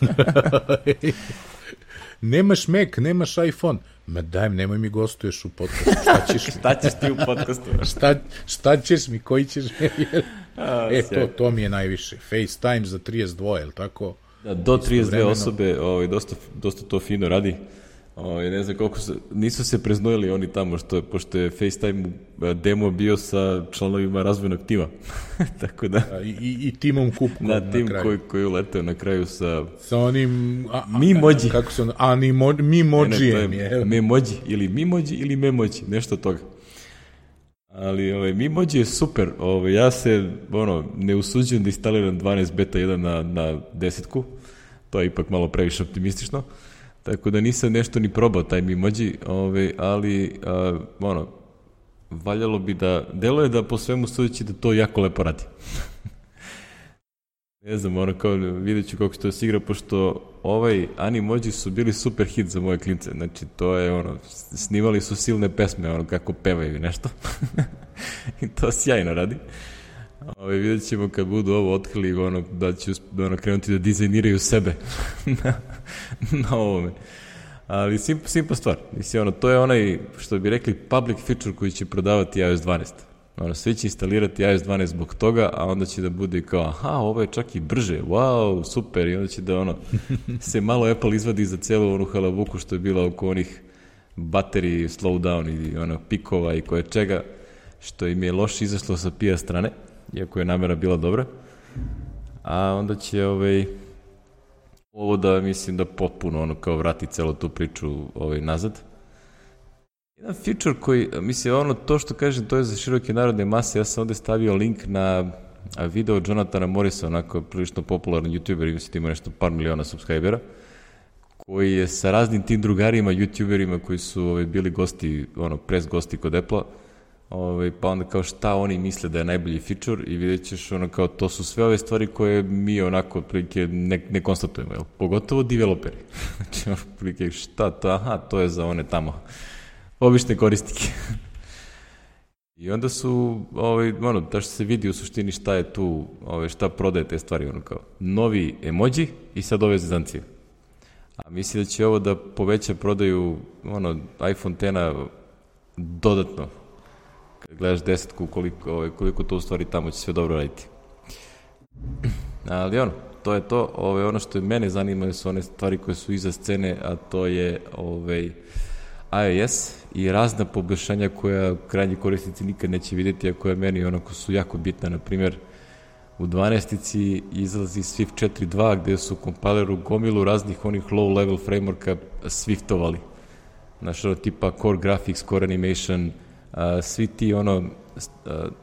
Nemaš Mac, nemaš iPhone. Ma dajem, nemoj mi gostuješ u podcastu, šta ćeš mi? Šta ćeš ti u podcastu? Šta ćeš mi, koji ćeš mi? To mi je najviše. FaceTime za 32, je li tako? Da, do 32 osobe, dosta to fino radi. Ne znam koliko nisu se preznojili oni tamo, pošto je FaceTime demo bio sa članovima razvojnog tima. Tako da... I timom Kupkom na tim koji uleteo na kraju sa onim... Mimoji. Kako se ono? Mimojijem. Memoji ili Memoji, nešto od toga. Ali Mimoji je super. Ja se ne usuđujem da instaliram 12 beta 1 na 10-ku. To je ipak malo previše optimistično. Tako da nisam nešto ni probao taj Mimoji, ali valjalo bi da, delo je da po svemu sudeći da to jako lepo radi. Ne znam, kao vidjet ću kako se to sigra, pošto Animoji su bili super hit za moje klince, znači to je snimali su silne pesme, kako pevaju nešto. I to sjajno radi. Vidjet ćemo kad budu ovo otkrili, da će krenuti da dizajniraju sebe na ovome. Ali simpa stvar. Mislim, to je onaj, što bi rekli, public feature koji će prodavati iOS 12. Svi će instalirati iOS 12 zbog toga, a onda će da bude kao, ovo je čak i brže, wow, super, i onda će da se malo Apple izvadi za celu onu halabuku što je bila oko onih bateriji, slowdown i pikova i koje čega, što im je loše izašlo sa PR strane, iako je namera bila dobra, a onda će ovo da, mislim, da potpuno kao vrati celo tu priču nazad. Jedan feature koji, mislim, to što kažem, to je za široke narodne mase, ja sam ovde stavio link na video Jonathana Morrisa, onako prilično popularan youtuber, mislim, ima nešto par miliona subscribera, koji je sa raznim tim drugarima, youtuberima koji su bili gosti, press gosti kod Apple-a, pa onda kao šta oni misle da je najbolji feature i vidjet ćeš kao to su sve ove stvari koje mi onako prilike ne konstatujemo, jel? Pogotovo developeri. Znači, prilike šta to, to je za one tamo obične koristike. I onda su, da što se vidi u suštini šta je tu, šta prodaje te stvari, kao novi emoji i sad ove zezancije. A mislim da će ovo da poveća prodaju iPhone X-a dodatno. Kad gledaš 10-ku, koliko to u stvari tamo će sve dobro raditi. Ali to je to. Ono što mene zanima su one stvari koje su iza scene, a to je iOS i razna poboljšanja koja krajnji korisnici nikad neće vidjeti, a koja meni onako su jako bitna. Na primjer, u 12-ici izlazi Swift 4.2 gde su kompileru gomilu raznih onih low-level frameworka Swiftovali. Znaš, tipa Core Graphics, Core Animation, svi ti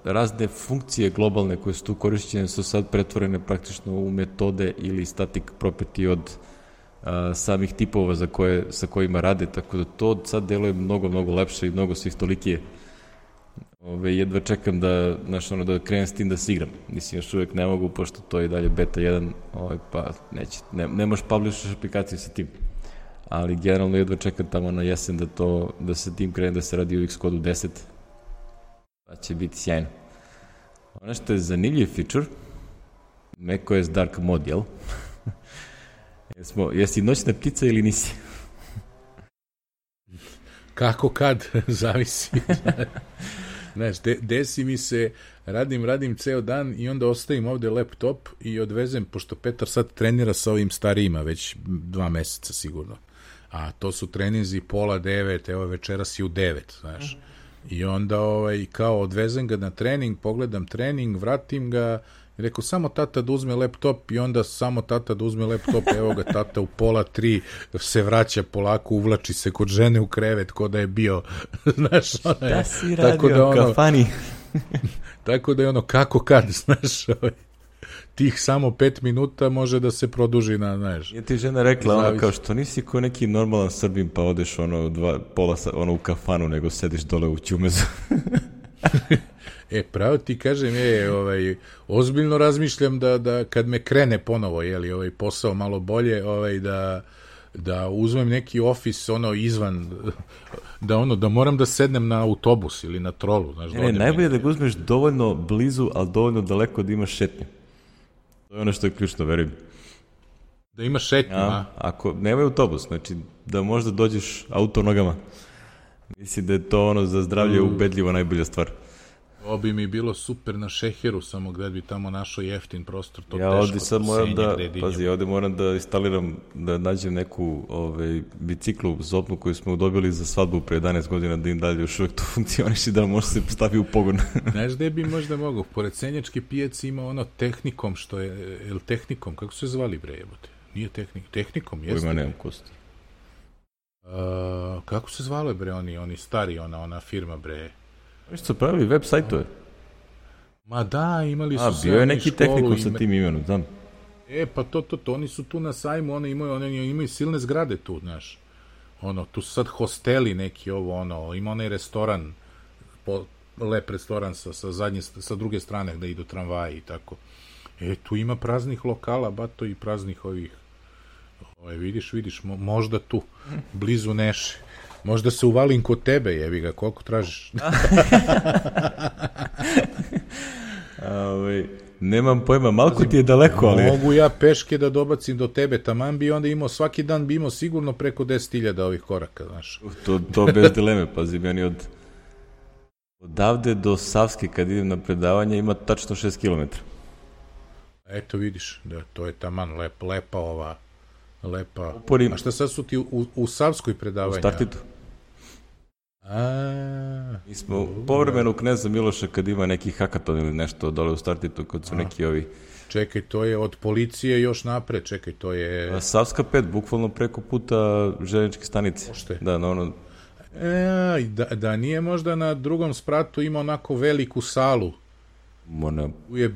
razne funkcije globalne koje su tu korišćene su sad pretvorene praktično u metode ili static property od samih tipova sa kojima rade, tako da to sad deluje mnogo, mnogo lepše i mnogo Swiftolikije. Jedva čekam da krenem s tim da se igram. Mislim, još uvek ne mogu, pošto to je i dalje beta 1, pa neće, ne možeš publishaš aplikaciju sa tim. Ali generalno jedva čekam tamo na jesen da se tim krene da se radi u Xcode 10. Pa će biti sjajno. Ono što je zanimljiv feature, macOS Dark Mode, jel? Jesi noćna ptica ili nisi? Kako kad, zavisi. Znaš, desi mi se, radim ceo dan i onda ostavim ovde laptop i odvezem, pošto Petar sad trenira sa ovim starijima već 2 meseca sigurno. A to su treninzi 8:30, evo večeras i u 9, znaš. I onda kao odvezem ga na trening, pogledam trening, vratim ga, i rekao samo tata da uzme laptop i onda samo tata da uzme laptop, evo ga tata u 2:30 se vraća polako, uvlači se kod žene u krevet ko da je bio, znaš, šta si radio, kafani? Tako da je kako kad, znaš, tih samo 5 minuta može da se produži na, znaš. Je ti žena rekla, kao što nisi ko neki normalan Srbin pa odeš u kafanu, nego sediš dole u ćumezu. Pravo ti kažem, ozbiljno razmišljam da kad me krene ponovo, posao malo bolje, da uzmem neki ofis, izvan, da moram da sednem na autobus ili na trolu, znaš. Najbolje da ga uzmeš dovoljno blizu, ali dovoljno daleko da imaš šetnju. To je ono što je ključno, verujem. Da imaš šetnju, Ako nemaj autobus, znači da možda dođeš auto nogama. Mislim da je to za zdravlje ubedljivo najbolja stvar. Ovo bi mi bilo super na Šeheru, samo gde bi tamo našao jeftin prostor. Ja ovde sad moram da instaliram, da nađem neku biciklu zopnu koju smo dobili za svadbu pre 11 godina, da im dalje još uvek to funkcioniš i da može se stavi u pogon. Znaš gde bi možda mogao? Pored Senjačke pijace ima Tehnikom, što je, Tehnikom, kako se zvali bre jebote? Nije Tehnikom, jeste? Pojma nemam kosti. Kako se zvale bre oni stari, ona firma bre? Oni su pravili web sajtove. Ma da, imali su bio je neki Tehnikom sa tim imenom, znam. Pa to, oni su tu na sajmu, oni imaju silne zgrade tu, znaš. Tu su sad hosteli neki, ima onaj restoran, lep restoran sa druge strane gde idu tramvaji i tako. Tu ima praznih lokala, bato, i praznih ovih. Vidiš, možda tu, blizu Neše. Možda se uvalim kod tebe, jebi ga, koliko tražiš? Nemam pojma, malko ti je daleko, ali... Mogu ja peške da dobacim do tebe, taman bi onda svaki dan bi imao sigurno preko 10.000 ovih koraka, znaš. To bez dileme, pazi, meni odavde do Savske, kad idem na predavanje, ima tačno 6 km. Eto vidiš, da, to je taman lepa ova... Lepa. A šta sad su ti u Savskoj predavanja? U Startitu. Mi smo povremeno u Kneza Miloša kad ima neki hakaton ili nešto dole u Startitu, kad su neki ovi... Čekaj, to je od policije još napred, to je... Savska 5, bukvalno preko puta željezničke stanice. Ošte? Da, da nije možda na drugom spratu ima onako veliku salu.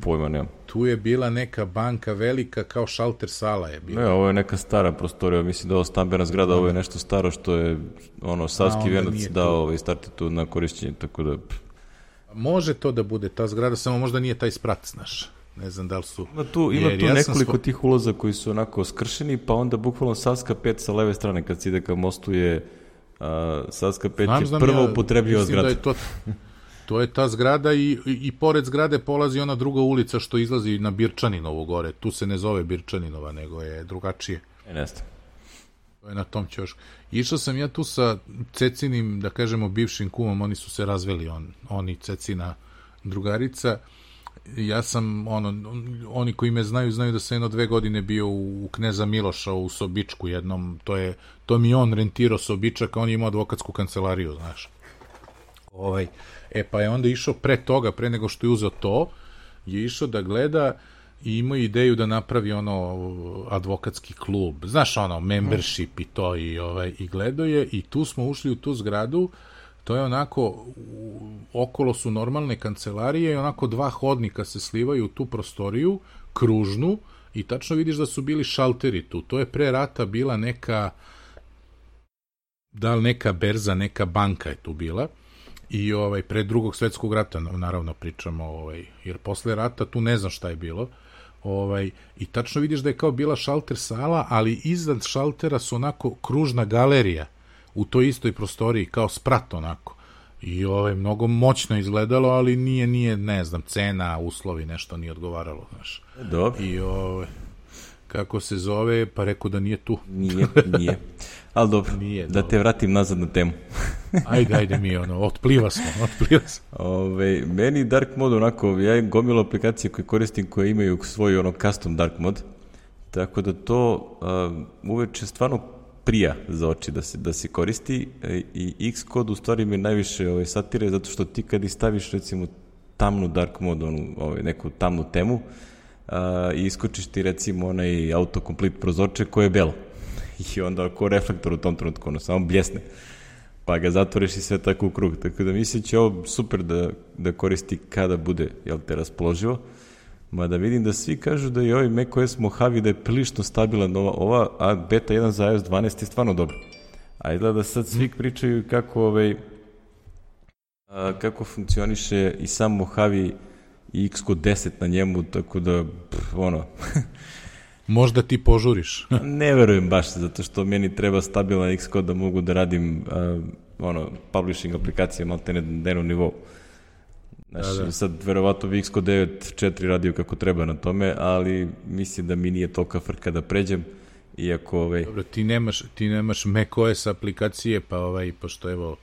Pojma nemam. Tu je bila neka banka velika, kao šalter sala je bila. Ne, ovo je neka stara prostorija, mislim da ovo stambena zgrada, ovo je nešto staro što je Savski venac dao Startitu na korišćenje, tako da... Može to da bude ta zgrada, samo možda nije taj sprat, znaš. Ne znam da li su... Ima tu nekoliko tih ulaza koji su onako skršeni, pa onda bukvalno Savska 5 sa leve strane, kad se ide ka mostu je Savska 5 je prva upotrebljiva zgrada. Mislim da je to je ta zgrada i pored zgrade polazi ona druga ulica što izlazi na Birčaninovu gore. Tu se ne zove Birčaninova, nego je drugačije. Ne znam. To je na tom ćošku. Išao sam ja tu sa Cecinim, da kažemo, bivšim kumom, oni su se razveli, on i Cecina drugarica. Ja sam, oni koji me znaju da sam 1-2 godine bio u Kneza Miloša u Sobičku jednom, to mi on rentirao Sobičak, a on je imao advokatsku kancelariju, znaš. Pa je onda išao pre toga, pre nego što je uzeo to, je išao da gleda i imao ideju da napravi advokatski klub, znaš, membership i to, i gledao je, i tu smo ušli u tu zgradu. To je onako, okolo su normalne kancelarije i onako 2 hodnika se slivaju u tu prostoriju, kružnu, i tačno vidiš da su bili šalteri tu. To je pre rata bila neka berza, neka banka je tu bila, i pre Drugog svetskog rata, naravno pričamo, jer posle rata tu ne znam šta je bilo, i tačno vidiš da je kao bila šalter sala, ali iznad šaltera su onako kružna galerija, u toj istoj prostoriji, kao sprat onako. I mnogo moćno izgledalo, ali nije, ne znam, cena, uslovi, nešto nije odgovaralo, znaš. Dobro. I kako se zove, pa rekao da nije tu. Nije. Ali dobro, nije, da te vratim nazad na temu. Ajde mi, otpliva smo. Meni dark mode onako, ja imam gomilu aplikacije koje koristim koje imaju svoj custom dark mode, tako da to uveče stvarno prija za oči da se koristi, i Xcode u stvari mi najviše satire, zato što ti kad staviš recimo tamnu dark mode, neku tamnu temu, i iskočiš ti recimo onaj autocomplete prozorče koje je belo, i onda ko reflektor u tom trenutku, samo bljesne, pa ga zatvoriš i sve tako u krug, tako da mislim će ovo super da koristi kada bude, raspoloživo. Mada vidim da svi kažu da i ovaj macOS Mojave da je prilično stabilan, a beta 1 za iOS 12 je stvarno dobro. A izgleda da sad svi pričaju kako funkcioniše i sam Mojave i Xcode 10 na njemu, tako da, Možda ti požuriš. Ne verujem baš, zato što meni treba stabilan Xcode da mogu da radim publishing aplikacije malte na dnevnom nivou. Znači, sad verovatno bi Xcode 9.4 radio kako treba na tome, ali mislim da mi nije tolika frka da pređem, iako... Dobro, ti nemaš macOS aplikacije, pa pošto evo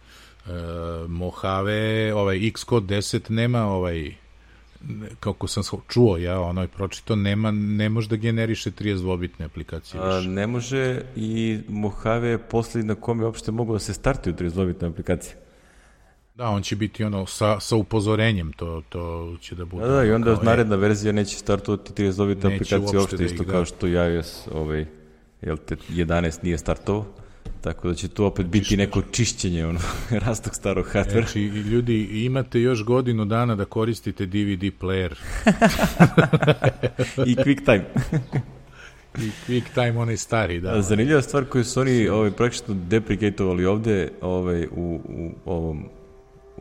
Mojave, Xcode 10 nema kako sam čuo ja, pročito, ne može da generiše 32-bitne aplikacije više. Ne može, i Mojave je posljednji na kome uopšte mogu da se startuju 32-bitne aplikacije. Da, on će biti sa upozorenjem, to će da bude. Da, i onda naredna verzija neće startovati 32-bitne aplikacije uopšte, isto kao što iOS 11 nije startovao, tako da će tu opet biti neko čišćenje rastog starog hardvera. Znači, ljudi, imate još godinu dana da koristite DVD player. I QuickTime. I QuickTime, onaj stari, da. Zanimljiva stvar koju su oni praktično deprecatovali ovde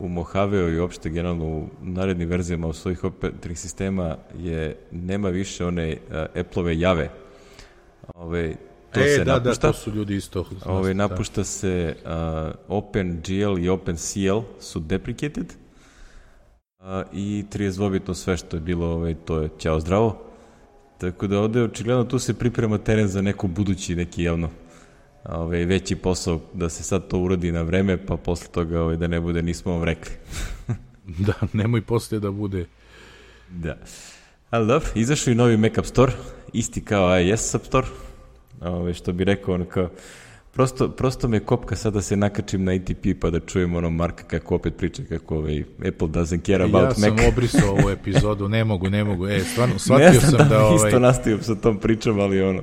u Mojaveu i uopšte generalno u narednim verzijama u svojih operativnih sistema nema više one Apple-ove jave. To su ljudi isto. Napušta se OpenGL i OpenCL su deprecated, i 32-bitno sve što je bilo, to je ćao zdravo. Tako da ovde očigledno tu se priprema teren za neko budući, neki veći posao, da se sad to uradi na vreme, pa posle toga da ne bude nismo vam rekli. Da, nemoj posle da bude. Da. Ali dobro, izašao i novi Mac App Store, isti kao iOS App Store, što bi rekao, kao, prosto me kopka sad da se nakačim na ATP pa da čujem Marka kako opet priča kako Apple doesn't care about Mac. Ja sam obrisao ovu epizodu, ne mogu. Stvarno, shvatio sam da... Isto nastavio sa tom pričom, ali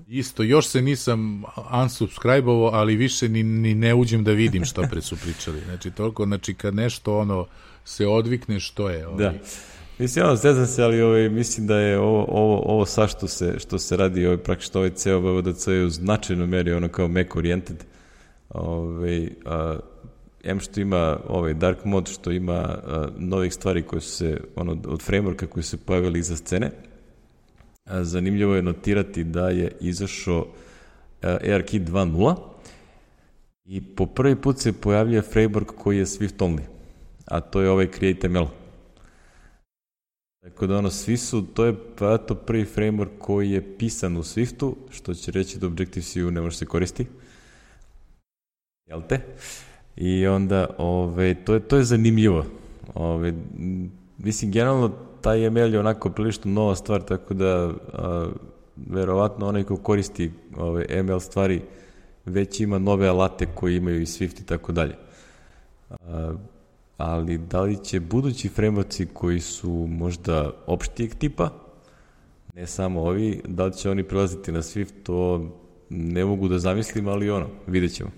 Isto, još se nisam unsubscribe-ovo, ali više ni ne uđem da vidim što pre su pričali. Znači, kad nešto se odvikne, što je. Da. Mislim, zezam se, ali mislim da je ovo sad što se radi, praktično ceo VVDC je u značajnoj meri kao Mac oriented. Što ima dark mode, što ima novih stvari koje su se, od frameworka koji su se pojavili iza scene. Zanimljivo je notirati da je izašao ARKit 2.0 i po prvi put se pojavljuje framework koji je Swift only, a to je CreateML. Tako da to je prvi framework koji je pisan u Swiftu, što će reći da Objective-C ne može se koristi. Jel te? I onda, to je zanimljivo. mislim, generalno taj ML je onako prilično nova stvar, tako da verovatno onaj ko koristi ove ML stvari već ima nove alate koji imaju i Swift i tako dalje. Ali da li će budući frameworksi koji su možda opštijeg tipa, ne samo ovi, da li će oni prelaziti na Swift, to ne mogu da zamislim, ali vidjet ćemo.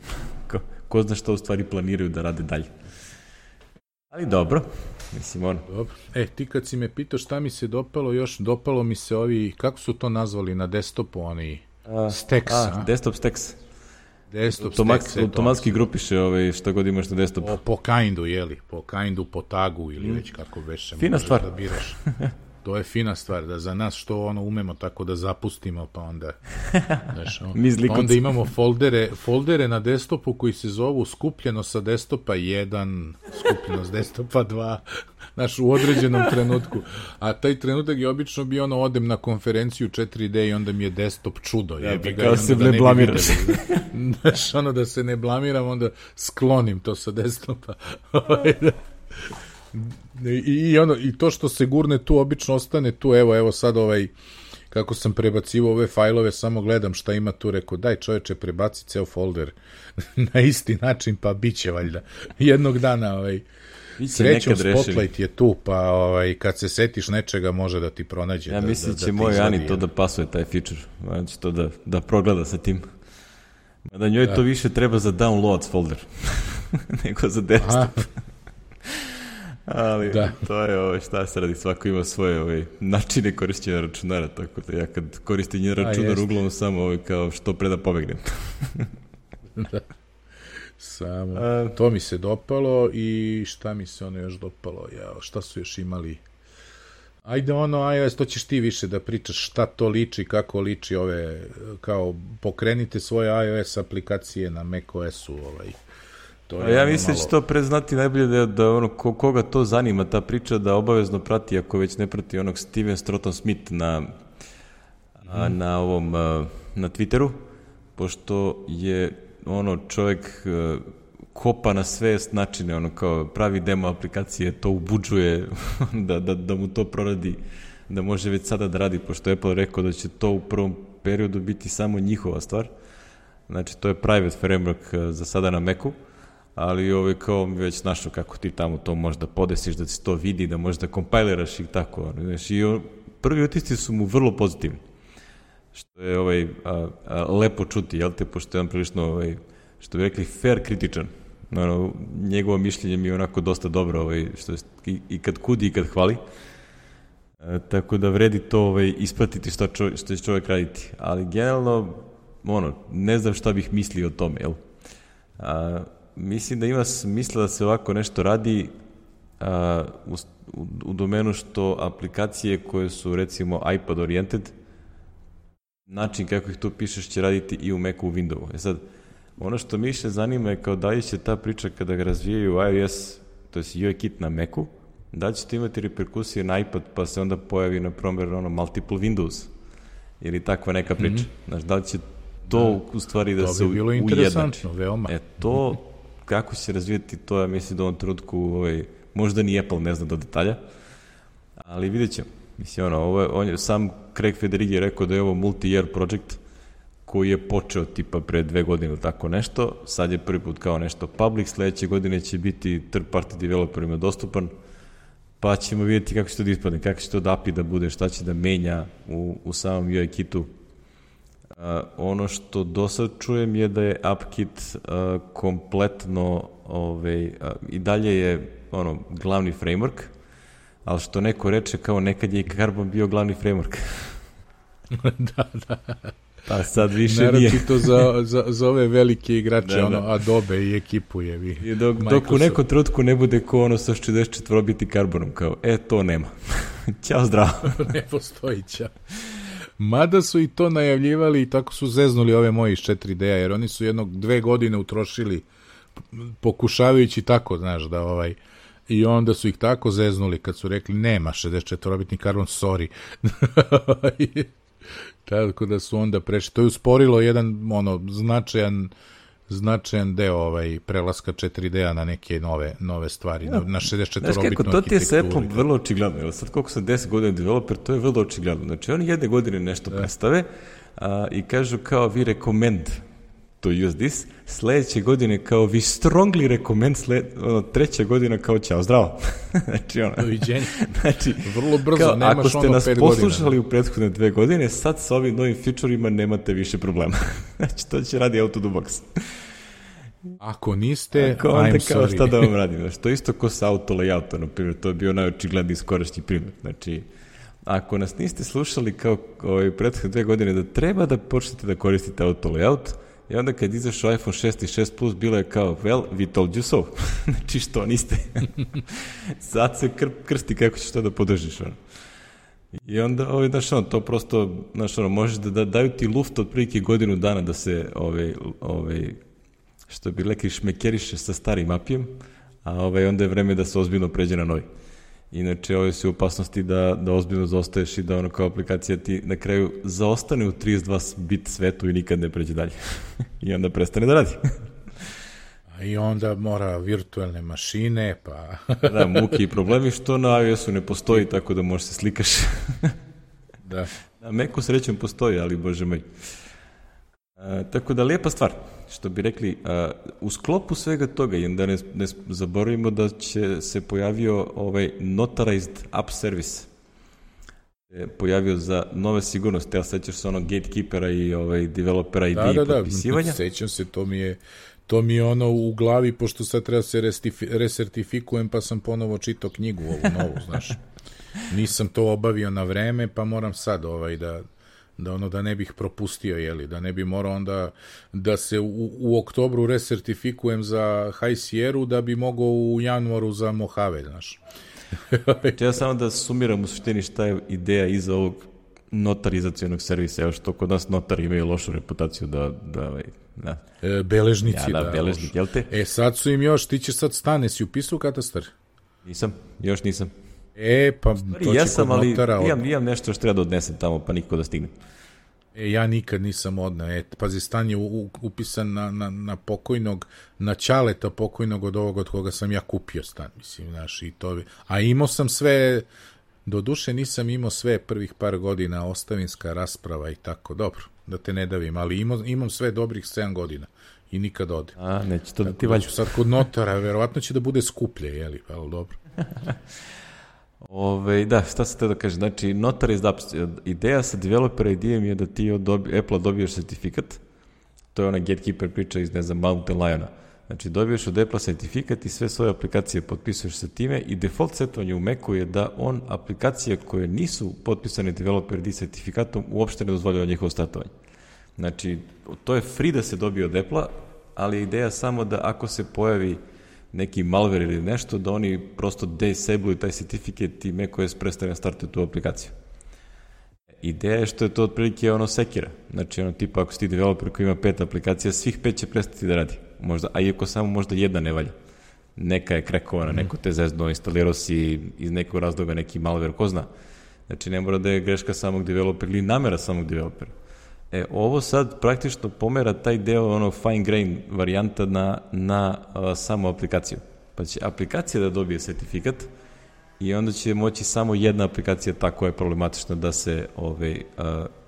Ko zna što u stvari planiraju da rade dalje. Ali dobro, mislim Dobro. Ti kad si me pitao šta mi se dopalo mi se ovi, kako su to nazvali na desktopu, oni Stacks, desktop Stacks. Desktop Stacks. Automatski grupiše šta god imaš na desktopu. Po kindu, po kindu, po tagu ili već kako veše. Fina stvar. Da biraš. To je fina stvar, da za nas što umemo tako da zapustimo, pa onda pa onda imamo foldere na desktopu koji se zovu skupljeno sa desktopa 1, skupljeno sa desktopa 2, u određenom trenutku. A taj trenutak je obično bio odem na konferenciju 4D i onda mi je desktop čudo. Kao se ne blamiraš. Da se ne blamiram, onda sklonim to sa desktopa. I to što se gurne tu obično ostane tu, evo sad kako sam prebacivao ove fajlove, samo gledam šta ima tu, rekao daj čoveče prebaci ceo folder na isti način, pa bit će valjda jednog dana srećom Spotlight je tu, pa kad se setiš nečega može da ti pronađe. Ja mislim će moj Ani to da pasuje taj feature, znači to da progleda sa tim, da njoj to više treba za downloads folder nego za desktop. Ali to je šta se radi, svako ima svoje načine korišćenja računara, tako da ja kad koristim njen računar uglavnom samo kao što pre da pobegnem. Samo to mi se dopalo. I šta mi se još dopalo, šta su još imali, ajde iOS, to ćeš ti više da pričaš šta to liči, kako liči kao pokrenite svoje iOS aplikacije na macOS-u Ja mislim da će to preznati najbolje da koga to zanima ta priča, da obavezno prati, ako već ne prati Steven Stratton Smith na Twitteru, pošto je čovjek kopa na sve načine, kao pravi demo aplikacije, to ubuđuje da mu to proradi, da može već sada da radi, pošto je Apple rekao da će to u prvom periodu biti samo njihova stvar. Znači, to je private framework za sada na Macu, ali kao mi već našao kako ti tamo to možda podesiš, da se to vidi, da možda kompajliraš i tako. I prvi utisci su mu vrlo pozitivni, što je lepo čuti, jel te, pošto je on prilično, što bi rekli, fair kritičan. Njegovo mišljenje mi je onako dosta dobro, što je i kad kudi i kad hvali. Tako da vredi to ispratiti što će čovjek raditi. Ali generalno, ne znam šta bih mislio o tome, jel? Mislim da ima smisla da se ovako nešto radi u domenu što aplikacije koje su recimo iPad oriented, način kako ih tu pišeš će raditi i u Macu, u Windowsu. Sad, ono što mi še zanima je kao da li će ta priča kada ga razvijaju iOS, to je UIKit na Macu, da li će to imati reperkusije na iPad pa se onda pojavi na primjer multiple Windows ili takva neka priča. Znaš, da li će to u stvari da se ujednači. To kako će se razvijeti, to ja mislim da u ovom trenutku možda ni Apple ne zna do detalja, ali vidjet ćemo. Mislim, sam Craig Federighi je rekao da je ovo multi-year project koji je počeo tipa pre 2 godine ili tako nešto, sad je prvi put kao nešto public, sledeće godine će biti third party developerima dostupan, pa ćemo vidjeti kako će to da ispadne, kako će to da API da bude, šta će da menja u samom UI-kitu. Ono što do sad čujem je da je AppKit kompletno i dalje je glavni framework, ali što neko reče kao nekad je i Carbon bio glavni framework. Da. Pa sad više nije. Naravno to za ove velike igrače, Adobe i ekipu je. Dok u nekom trenutku ne bude ko sa 64 biti Carbonom, kao, to nema. Ćao, zdravo. Ne postoji, ćao. Mada su i to najavljivali i tako su zeznuli ove moji iz 4D-a, jer oni su 2 godine utrošili pokušavajući tako, znaš, da i onda su ih tako zeznuli kad su rekli nema 64-bitni karbon, sorry. Tako da su onda prešli. To je usporilo jedan značajan značajan deo prelaska 4D-a na neke nove stvari, na 64-bitnu arhitekturu. To ti je s Apple vrlo očigledno. Evo sad koliko sam 10 godina developer, to je vrlo očigledno. Znači oni jedne godine nešto predstave i kažu kao vi recommend to use this, sledeće godine kao we strongly recommend, treća godina kao ćao, zdravo. Znači doviđenja. Znači, vrlo brzo, nemaš ako ste nas poslušali u prethodne 2 godine, sad sa ovim novim feature-ima nemate više problema. Znači, to će radi out of the box. Ako niste, ako onda I'm kao sorry. šta da vam radim. Znači, to isto ko sa auto layouta, na primjer, to je bio najočigledniji skorašnji primjer. Znači, ako nas niste slušali kao prethodne 2 godine da treba da počnete da koristite auto layout, i onda kad izašao iPhone 6 i 6 Plus, bilo je kao, well, we told you so. Znači, što niste? Sad se krsti kako ćeš to da podržiš. I onda, to prosto, možeš da daju ti luft od prilike godinu dana da se, što bi rekli, šmekeriše sa starim apijem, a onda je vreme da se ozbiljno pređe na novi. Inače, ovo si u opasnosti da ozbiljno zaostaješ i da kao aplikacija ti na kraju zaostane u 32-bit svetu i nikad ne pređe dalje. I onda prestane da radi. I onda mora virtualne mašine, pa... Da, muke i problemi, što na iOS-u ne postoji, tako da možeš se slikaš. Da. Na Macu srećom postoji, ali bože moj. Tako da, lijepa stvar. Što bi rekli, u sklopu svega toga, i da ne zaboravimo da će se pojavio notarized app service. Pojavio za nove sigurnosti, ja sećaš se onog gatekeepera i developera ID i potpisivanja. Da, sećam se, to mi je ono u glavi, pošto sad treba se resertifikujem, pa sam ponovo čitao knjigu ovu novu, znaš. Nisam to obavio na vreme, pa moram sad da ne bih propustio, da ne bi morao onda da se u oktobru resertifikujem za High Sierra da bi mogao u januaru za Mojave, znaš. Ja samo da sumiram u suštini šta je ideja iza ovog notarizacionog servisa, evo što kod nas notari imaju lošu reputaciju da beležnici, beležnik, jel te? Sad su im još, ti ćeš sad stane, si upisao katastar? Još nisam. Pa to će kod notara... Imam nešto što treba da odnesem tamo, pa niko da stigne. Ja nikad nisam odneo. Pazi, stan je upisan na pokojnog, na ćaleta pokojnog od ovog od koga sam ja kupio stan, mislim, znaš, i to... A imao sam sve... Doduše nisam imao sve prvih par godina, ostavinska rasprava i tako, dobro, da te ne davim, ali imam sve dobrih 7 godina i nikad ode. Neće to da ti valja. Sad kod notara, verovatno će da bude skuplje, ali dobro. Da, šta se te da kaže, znači notarized apps, ideja sa developer ID-em je da ti od Apple-a dobiješ sertifikat, to je ona gatekeeper priča iz, ne znam, Mountain Liona. Znači, dobiješ od Apple-a sertifikat i sve svoje aplikacije potpisuješ sa time i default setovanje u Macu je da on aplikacije koje nisu potpisane developer ID sertifikatom uopšte ne dozvoljava njihovo startovanje. Znači, to je free da se dobije od Apple-a, ali je ideja samo da ako se pojavi neki malware ili nešto, da oni prosto disabluju taj certifikat i macOS prestane startuje tu aplikaciju. Ideja je što je to otprilike sekira. Znači, tipa ako si ti developer koji ima 5 aplikacija, svih 5 će prestati da radi. Možda, a iako samo možda jedna ne valja. Neka je krekovana, neko te zezno, instalirao si iz nekog razloga neki malware, ko zna. Znači, ne mora da je greška samog developera ili namera samog developera. Ovo sad praktično pomera taj deo fine grain varijanta na samu aplikaciju. Pa će aplikacija da dobije sertifikat i onda će moći samo jedna aplikacija tako je problematična da se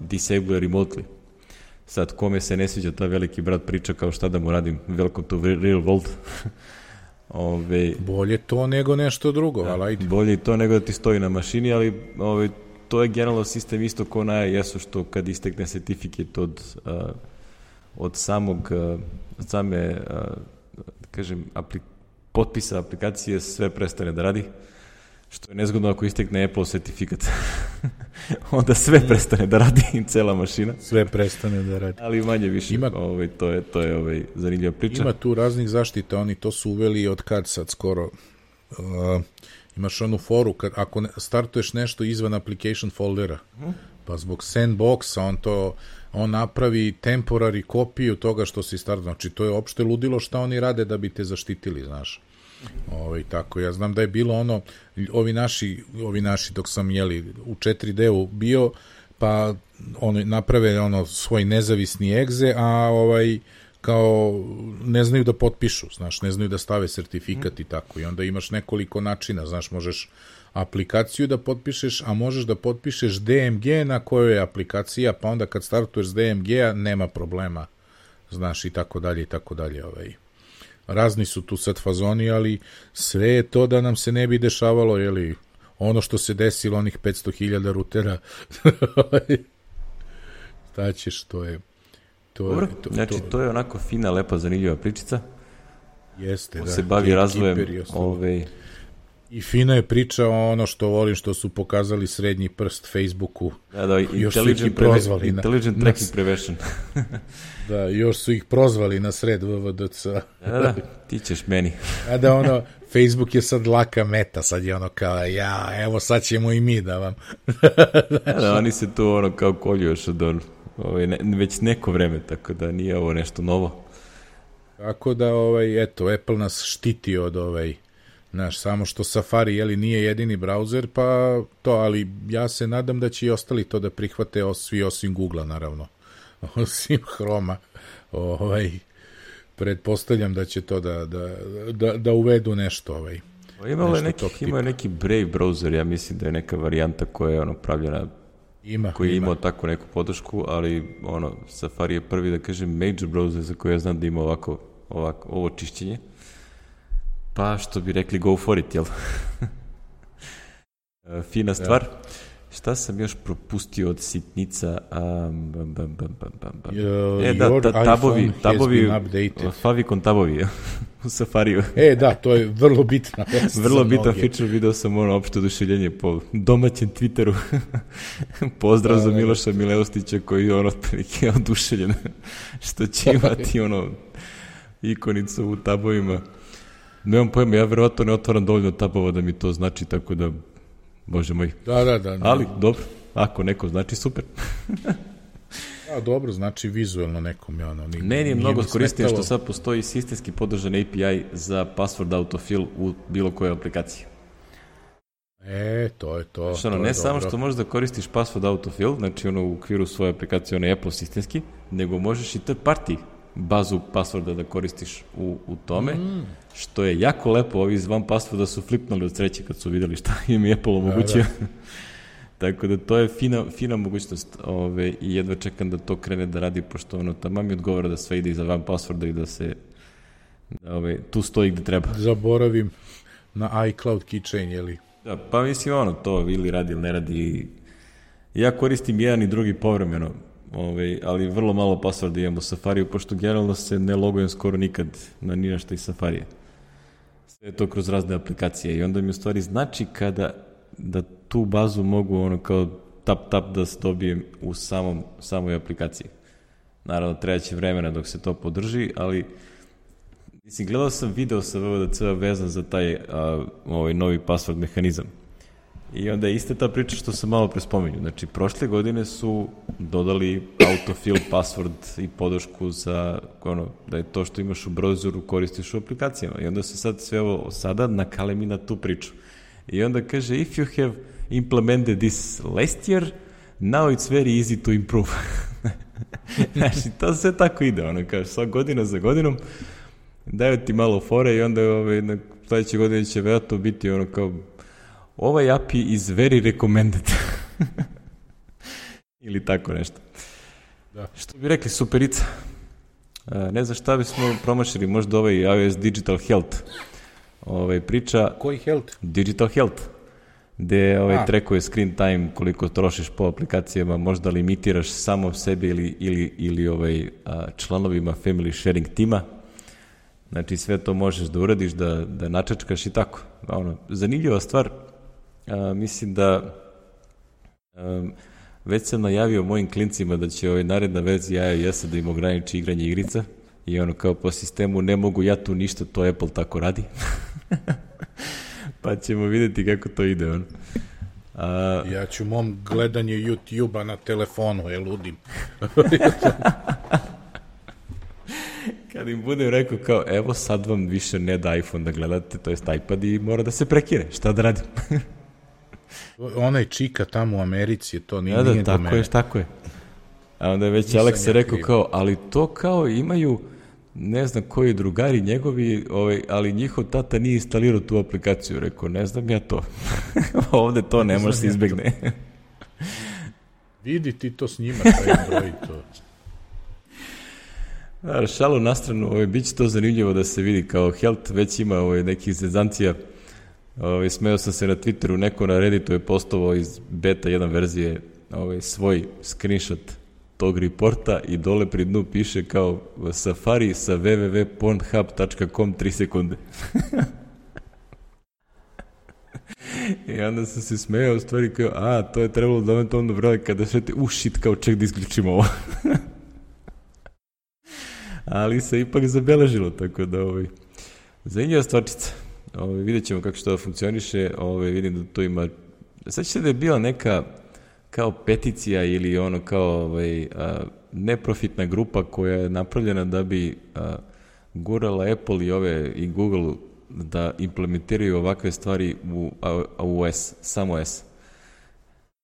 disabluje remotely. Sad, kome se ne sviđa ta veliki brat priča kao šta da mu radim, welcome to real world. Bolje to nego nešto drugo, ali ajde. Bolje i to nego da ti stoji na mašini, ali to je generalno sistem isto kao na iOS-u, što kad istekne sertifikat od same potpisa aplikacije, sve prestane da radi, što je nezgodno ako istekne Apple sertifikat. Onda sve prestane da radi, cela mašina. Sve prestane da radi. Ali manje više, to je zanimljiva priča. Ima tu raznih zaštita, oni to su uveli od kad sad skoro... Imaš onu foru, ako startuješ nešto izvan application foldera, pa zbog sandboxa on napravi temporary kopiju toga što si startao. Znači, to je opšte ludilo šta oni rade da bi te zaštitili, znaš. Tako, ja znam da je bilo ovi naši dok sam u 4D-u bio, pa naprave svoj nezavisni egze, a kao ne znaju da potpišu, znaš, ne znaju da stave sertifikat i tako. I onda imaš nekoliko načina, znaš, možeš aplikaciju da potpišeš, a možeš da potpišeš DMG na kojoj je aplikacija, pa onda kad startuješ s DMG-a nema problema, znaš, i tako dalje, i tako dalje. Razni su tu sad fazoni, ali sve je to da nam se ne bi dešavalo, jeli, ono što se desilo, onih 500.000 rutera. Šta ćeš, to je... Dobro, znači to je onako fina, lepa, zanimljiva pričica. Jeste, da. Se bavi razvojem I fina je priča o ono što volim, što su pokazali srednji prst Facebooku. Da, još su ih prozvali. Intelligent Tracking Prevention. Da, još su ih prozvali na sred VVDC. Da, ti ćeš meni. A da ono, Facebook je sad laka meta, sad je ono kao, evo sad ćemo i mi da vam. Da, oni se tu ono kao kolju još od već neko vreme, tako da nije ovo nešto novo. Tako da, eto, Apple nas štiti od znaš, samo što Safari, jeli, nije jedini brauzer, pa to, ali ja se nadam da će i ostali to da prihvate, svi osim Google-a, naravno. Osim Chroma. Pretpostavljam da će to da uvedu nešto. Imao je neki Brave browser, ja mislim da je neka varijanta koja je pravljena, koji je imao tako neku podršku, ali Safari je prvi, da kažem, major browser za koji ja znam da ima ovo čišćenje. Pa što bi rekli, go for it, jel? Fina stvar. Šta sam još propustio od sitnica? Tabovi, favicon tabovi u Safariju. Da, to je vrlo bitna. Vrlo bitan feature, video sam opšte oduševljenje po domaćem Twitteru. Pozdrav za Miloša Mileustića koji je otprilike oduševljen što će imati ikonicu u tabovima. Nemam pojma, ja verovatno ne otvaram dovoljno tabova da mi to znači, tako da Bože moj. Da. Ali, dobro, ako neko znači, super. Dobro, znači vizualno nekom je ono. Meni je mnogo korisnije što sad postoji sistemski podržan API za password autofill u bilo kojoj aplikaciji. To je to. Znači, ne samo što možeš da koristiš password autofill, znači u okviru svoje aplikacije, ono je Apple sistemski, nego možeš i third party bazu passworda da koristiš u tome, što je jako lepo. Ovi iz van passworda su flipnuli od sreće kad su vidjeli šta im je Apple omogućio. Tako da to je fina mogućnost i jedva čekam da to krene da radi, pošto tamo mi odgovara da sve ide iza van passworda i da se tu stoji gde treba. Zaboravim na iCloud keychain, jeli? Da, pa mislim to ili radi ili ne radi. Ja koristim jedan i drugi povremeno, ali vrlo malo passworda imam u Safariju, pošto generalno se ne logujem skoro nikad na ni našta iz Safarije. Sve je to kroz razne aplikacije i onda mi u stvari znači da tu bazu mogu kao tap da se dobijem u samoj aplikaciji. Naravno, treba će vremena dok se to podrži, ali mislim, gledao sam video sa VVDC vezan za taj novi password mehanizam. I onda je ista ta priča što sam malo prespomenuo. Znači, prošle godine su dodali autofill password i podršku za da je to što imaš u browseru koristiš u aplikacijama. I onda se sad sve ovo sada nakalemi na tu priču. I onda kaže, if you have implemented this last year, now it's very easy to improve. Znači, to sve tako ide. Kaže, svak godina za godinom daju ti malo fore i onda na sledeće godine će vjerojatno biti kao ovaj API is very recommended. Ili tako nešto. Da. Što bi rekli, superica. Ne znam šta bismo promašili, možda iOS Digital Health priča. Koji health? Digital Health. Gde trackuje screen time, koliko trošiš po aplikacijama, možda limitiraš samo sebi ili članovima family sharing tima. Znači sve to možeš da uradiš, da načačkaš i tako. Zanimljiva stvar. Mislim da već sam najavio mojim klincima da će naredna verzija iOS-a da im ograniči igranje igrica i kao po sistemu ne mogu ja tu ništa, to Apple tako radi. Pa ćemo vidjeti kako to ide. Ja ću mom gledanje YouTube-a na telefonu, ludim. Kad im budem rekao kao, evo sad vam više ne da iPhone da gledate, to jest iPad i mora da se prekine, šta da radim? Onaj čika tamo u Americi, to nije do mene. Tako je. A onda je već Alex rekao kao, ali to kao imaju ne znam koji drugari njegovi, ali njihov tata nije instalirao tu aplikaciju. Rekao, ne znam ja to. Ovde to ne može se izbegne. Vidi ti to snima, taj broj to. Šalu na stranu, bit će to zanimljivo da se vidi kao Helt, već ima nekih zezancija. Smeo sam se na Twitteru, neko na Redditu je postovao iz beta 1 verzije svoj screenshot tog reporta i dole pri dnu piše kao Safari sa www.pornhub.com 3 sekunde. I onda sam se smejao u stvari kao, to je trebalo da vam to onda vrali kada šete, shit, kao ček da isključimo ovo. Ali se ipak zabeležilo, tako da zanimljiva stvarčica. Vidjet ćemo kako što da funkcioniše, vidim da to ima, sad će da je bila neka kao peticija ili kao neprofitna grupa koja je napravljena da bi gurala Apple i Google da implementiraju ovakve stvari u OS, samo OS.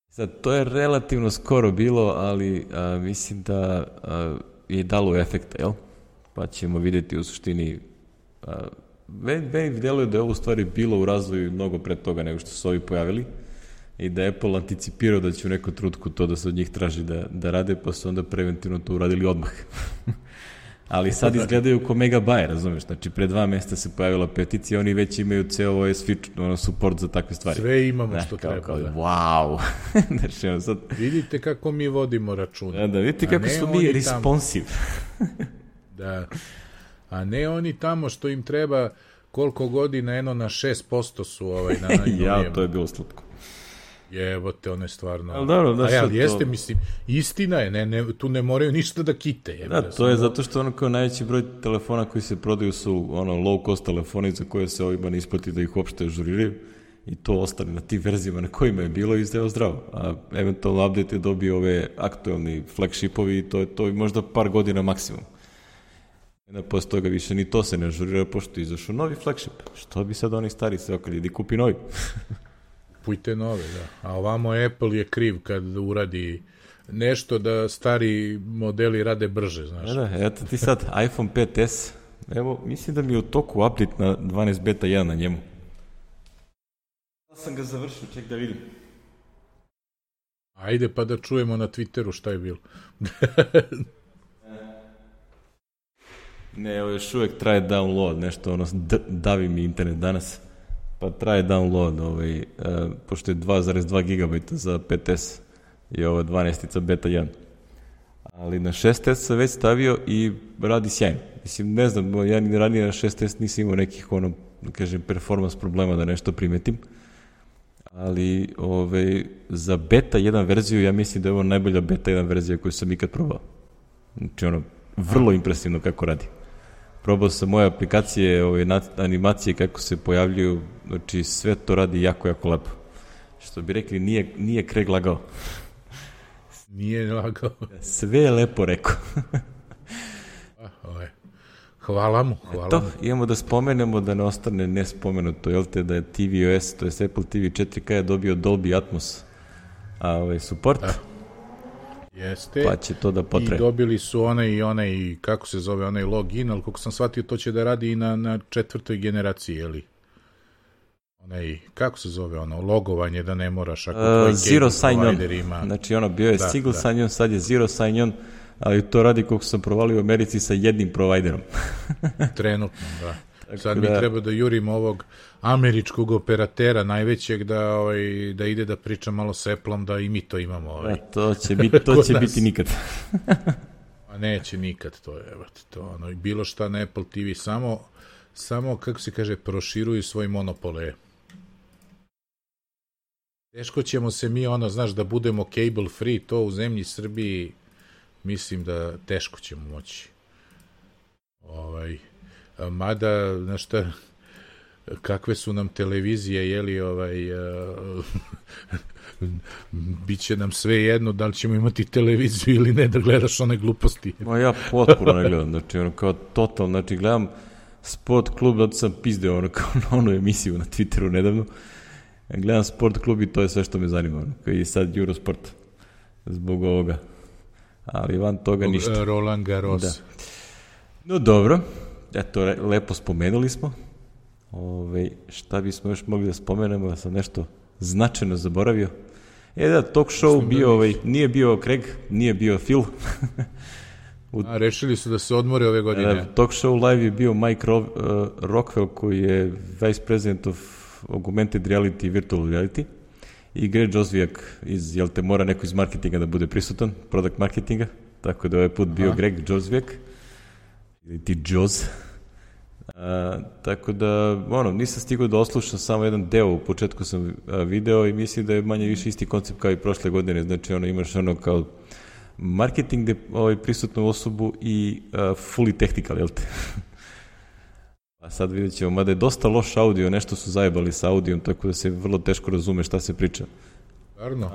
Sad, to je relativno skoro bilo, ali mislim da je dalo efekta, jel? Pa ćemo vidjeti u suštini. Meni deluje da je ovo u stvari bilo u razvoju mnogo pre toga nego što su ovi pojavili i da je Apple anticipirao da će u nekom trutku to da se od njih traži da rade, pa su onda preventivno to uradili odmah. Ali sad izgledaju ko mega buy, razumeš? Znači, pre 2 mjeseca se pojavila peticija, oni već imaju ceo OS feature, support za takve stvari. Sve imamo što treba. Wow! Znači, sad... Vidite kako mi vodimo računa. Da, vidite kako su mi responsive. Da. A ne oni tamo što im treba koliko godina, na 6% su na ja, to je bilo slatko. Jebote, ono je stvarno... Ali jeste, mislim, istina je, tu ne moraju ništa da kite. To je zato što kao najveći broj telefona koji se prodaju su low cost telefoni za koje se ovima ne isplati da ih uopšte ažuriraju i to ostane na tim verzijama na kojima je bilo i zdravo. A eventualno update je dobio ove aktualni flagshipovi i to je možda par godina maksimum. Posle toga više ni to se ne ažurira, pošto je izašao novi flagship. Što bi sad oni stari se okali, idi kupi novi. Kupujte nove, da. A ovamo Apple je kriv kad uradi nešto da stari modeli rade brže, znaš. Da, eto ti sad iPhone 5s, evo, mislim da mi je u toku update na 12 beta 1 na njemu. Ja sam ga završio, ček da vidim. Ajde pa da čujemo na Twitteru šta je bilo. Ne, evo još uvek traje download, nešto davi mi internet danas, pa traje download, pošto je 2,2 GB za 5S i ovo 12 beta 1. Ali na 6S sam već stavio i radi sjajno. Mislim, ne znam, ja ni ranije na 6S nisam imao nekih, performance problema da nešto primetim, ali za beta 1 verziju ja mislim da je ovo najbolja beta 1 verzija koju sam ikad probao. Znači, vrlo impresivno kako radi. Probao sam moje aplikacije, animacije kako se pojavljuju, znači sve to radi jako, jako lepo. Što bi rekli, nije Craig lagao. Nije lagao. Sve je lepo rekao. Hvala mu. Imamo da spomenemo da ne ostane nespomenuto, jel te da je tvOS, to je Apple TV 4K je dobio Dolby Atmos support. Jeste. Pa će to da potre. I dobili su onaj, kako se zove, onaj login, ali kako sam shvatio, to će da radi i na 4. generaciji, jeli? Kako se zove logovanje, da ne moraš ako tvoj Zero sign on. Ima... Znači bio je single sign on, sad je zero sign on, ali to radi koliko sam provalio u Americi sa jednim provajderom. Trenutno, da. Sad mi treba da jurimo ovog američkog operatera najvećeg da ide da priča malo s Apple-om, da i mi to imamo. To će biti nikad. A neće nikad, to je, bilo šta na Apple TV, samo, kako se kaže, proširuju svoj monopole. Teško ćemo se mi, da budemo cable free, to u zemlji Srbiji, mislim da teško ćemo moći. Mada, znaš šta, kakve su nam televizije, biće nam sve jedno da li ćemo imati televiziju ili ne, da gledaš one gluposti. Ja potpuno ne gledam, znači kao total, znači gledam Sport klub, zato sam pizdeo kao na onu emisiju na Twitteru nedavno, gledam Sport klub i to je sve što me zanima, i sad Eurosport zbog ovoga, ali van toga ništa. Roland Garros. Da. No dobro, eto, lepo spomenuli smo. Šta bismo još mogli da spomenemo, da sam nešto značajno zaboravio. Da, talk show bio, nije bio Craig, nije bio Phil. Rešili su da se odmore ove godine. Talk show live je bio Mike Rockwell, koji je vice president of augmented reality i virtual reality, i Greg Josviak mora neko iz marketinga da bude prisutan, product marketinga, tako da ovaj put bio Greg Josviak, ili ti Joz. Tako da, nisam stigao da oslušam samo jedan deo, u početku sam video i mislim da je manje više isti koncept kao i prošle godine, znači imaš kao marketing prisutnu osobu i fully technical, jel te? A sad vidjet ćemo, mada je dosta loš audio, nešto su zajebali sa audijom, tako da se vrlo teško razume šta se priča. Stvarno?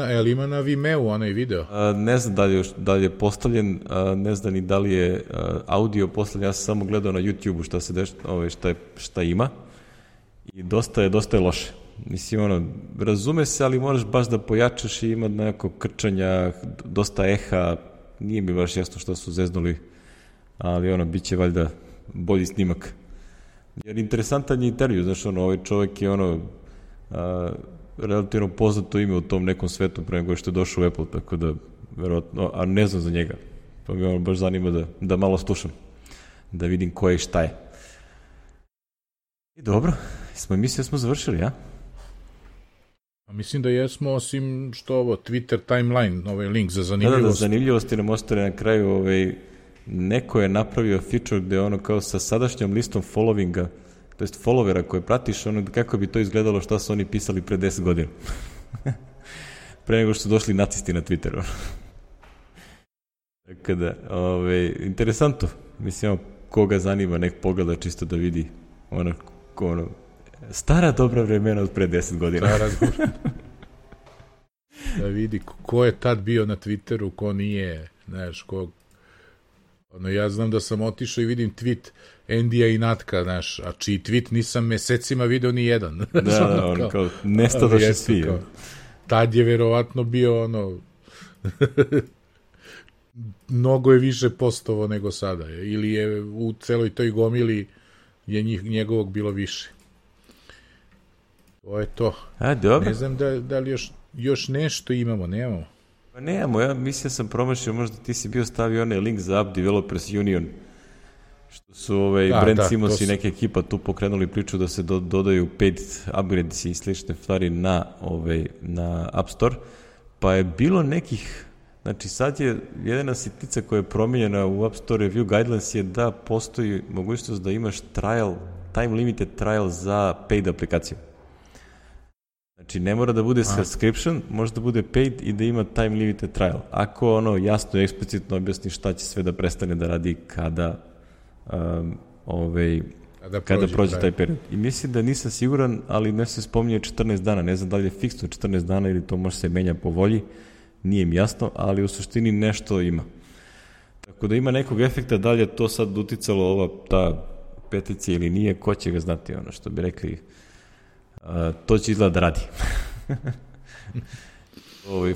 Jel ima na Vimeo onaj video? Ne znam da li je postavljen, ne znam ni da li je audio postavljen, ja sam samo gledao na YouTube-u šta se šta ima i dosta je loše. Mislim, razume se, ali moraš baš da pojačaš i ima neko krčanja, dosta eha, nije mi baš jasno što su zeznuli, ali bit će valjda bolji snimak. Jer interesantan je intervju, znaš, ovaj čovjek je relativno poznato ime u tom nekom svetu pre nego što je došao u Apple, tako da, verovatno, a ne znam za njega, pa mi baš zanima da malo slušam, da vidim ko je i šta je. I dobro, mislili smo završili, ja? Mislim da jesmo, osim što Twitter timeline, ovaj link za zanimljivost. Da, zanimljivosti nam ostane na kraju, neko je napravio feature gde kao sa sadašnjom listom followinga, to jest followera koje pratiš, kako bi to izgledalo šta su oni pisali pre 10 godina. Pre nego što su došli nacisti na Twitteru. Tako da, interesantno. Mislim, koga zanima, nek pogleda čisto da vidi stara dobra vremena od pre 10 godina. Da vidi ko je tad bio na Twitteru, ko nije, znaš, ko... ja znam da sam otišao i vidim tweet Endija i Natka, znaš, a čiji tweet nisam mesecima video ni jedan. Da, kao nestadoše svi. Tad je verovatno bio, mnogo je više postovo nego sada, ili je u celoj toj gomili je njegovog bilo više. To je to. Dobro. Ne znam da li još nešto imamo, nemamo. Pa nemamo, ja mislim sam promašio, možda ti si bio stavio onaj link za App Developers Union, što su Brent Simons i neka ekipa tu pokrenuli priču da se dodaju paid upgrades i slične stvari na App Store, pa je bilo nekih, znači sad je jedina sitnica koja je promijenjena u App Store Review Guidelines je da postoji mogućnost da imaš time limited trial za paid aplikaciju. Znači, ne mora da bude subscription, može da bude paid i da ima time limited trial. Ako jasno i eksplicitno objasni šta će sve da prestane da radi kada prođe taj period. I mislim da nisam siguran, ali ne se spominje 14 dana. Ne znam da li je fiksno 14 dana ili to može se menja po volji. Nije mi jasno, ali u suštini nešto ima. Tako da ima nekog efekta, da li je to sad uticalo ta peticija ili nije, ko će ga znati, što bi rekli, to će izgleda da radi.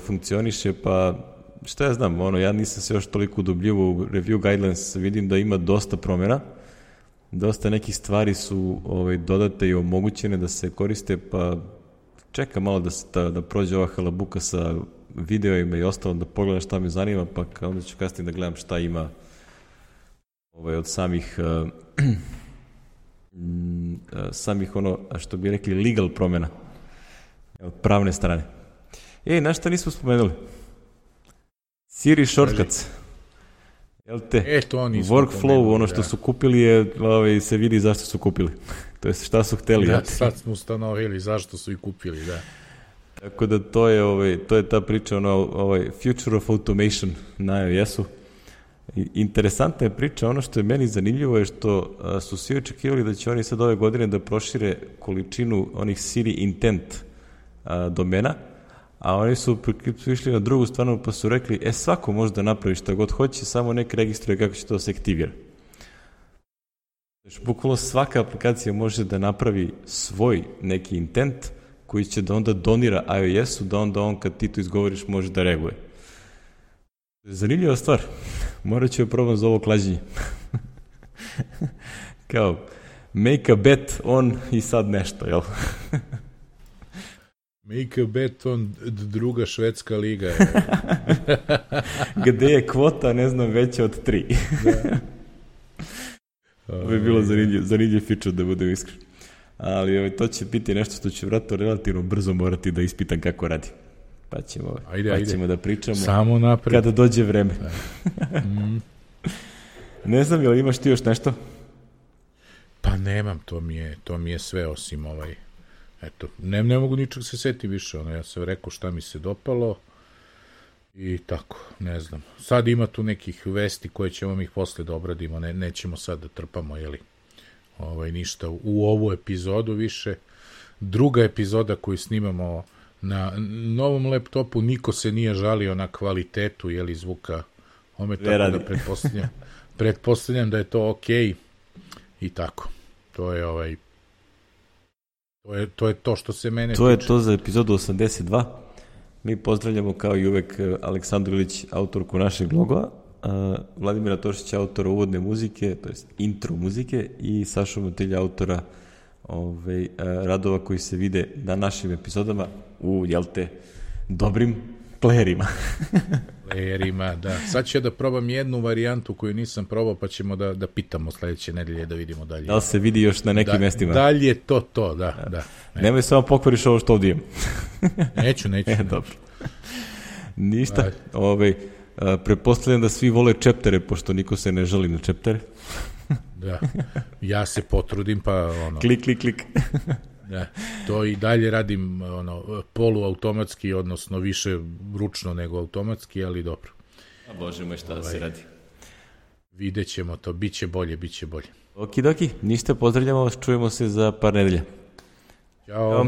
Funkcioniše, pa šta ja znam, ja nisam se još toliko udubljivo u Review Guidelines, vidim da ima dosta promjena, dosta nekih stvari su dodate i omogućene da se koriste, pa čekam malo da prođe ova halabuka sa videoima i ostalo, da pogledam šta me zanima, pa onda ću kasnije da gledam šta ima od samih što bi rekli legal promjena od pravne strane. Na šta nismo spomenuli? Siri shortcuts. Jel te? Workflow, što su kupili je, se vidi zašto su kupili. To je šta su hteli. Da, sad smo ustanovili zašto su i kupili, da. Tako da to je ta priča, future of automation na iOS-u. Interesantna je priča, ono što je meni zanimljivo je što su svi očekivali da će oni sad ove godine da prošire količinu onih Siri intent domena, a oni su išli na drugu stranu pa su rekli, svako može da napravi šta god hoće, samo nek registruje kako će to da se aktivira. Znači, bukvalno svaka aplikacija može da napravi svoj neki intent koji će da onda donira iOS-u, da onda on kad ti to izgovoriš može da reaguje. Zanimljiva stvar. Morat ću je probam za ovo klađenje. Kao, make a bet on i sad nešto, jel? Make a bet on druga švedska liga. Gde je kvota, ne znam, veća od 3. Da. Ovo je bilo zanimljiv feature, da budem iskren. Ali to će biti nešto što će vratno relativno brzo morati da ispitam kako radi. Pa ćemo da pričamo samo napred kada dođe vreme. Ne znam, jel imaš ti još nešto? Pa nemam, to mi je sve osim eto, ne mogu ničeg se setiti više, ja sam rekao šta mi se dopalo i tako, ne znam. Sad ima tu nekih vesti koje ćemo ih posle da obradimo, nećemo sad da trpamo, ništa u ovu epizodu više. Druga epizoda koju snimamo na novom laptopu, niko se nije žalio na kvalitetu, zvuka, tako da pretpostavljam da je to okej. I tako. To je to što se mene tiče. Je to za epizodu 82. Mi pozdravljamo kao i uvek Aleksandru Ilić, autorku našeg logova, Vladimira Tošića, autora uvodne muzike, to jest intro muzike, i Sašu Motilja, autora radova koji se vide na našim epizodama u, dobrim playerima. Playerima, da. Sad ću da probam jednu varijantu koju nisam probao, pa ćemo da pitamo sledeće nedelje da vidimo dalje. Da li se vidi još na nekim mestima? Dalje je to, da. Nemoj samo pokvariš ovo što ovdje imam. Neću. Dobro. Ništa. Pretpostavljam da svi vole chaptere, pošto niko se ne žali na chaptere. Da. Ja se potrudim, pa Klik. Da, to i dalje radim poluautomatski, odnosno više ručno nego automatski, ali dobro. A Bože moj, šta da se radi? Vidjet ćemo to, bit će bolje. Okidoki, ništa, pozdravljamo vas, čujemo se za par nedelja. Ćao.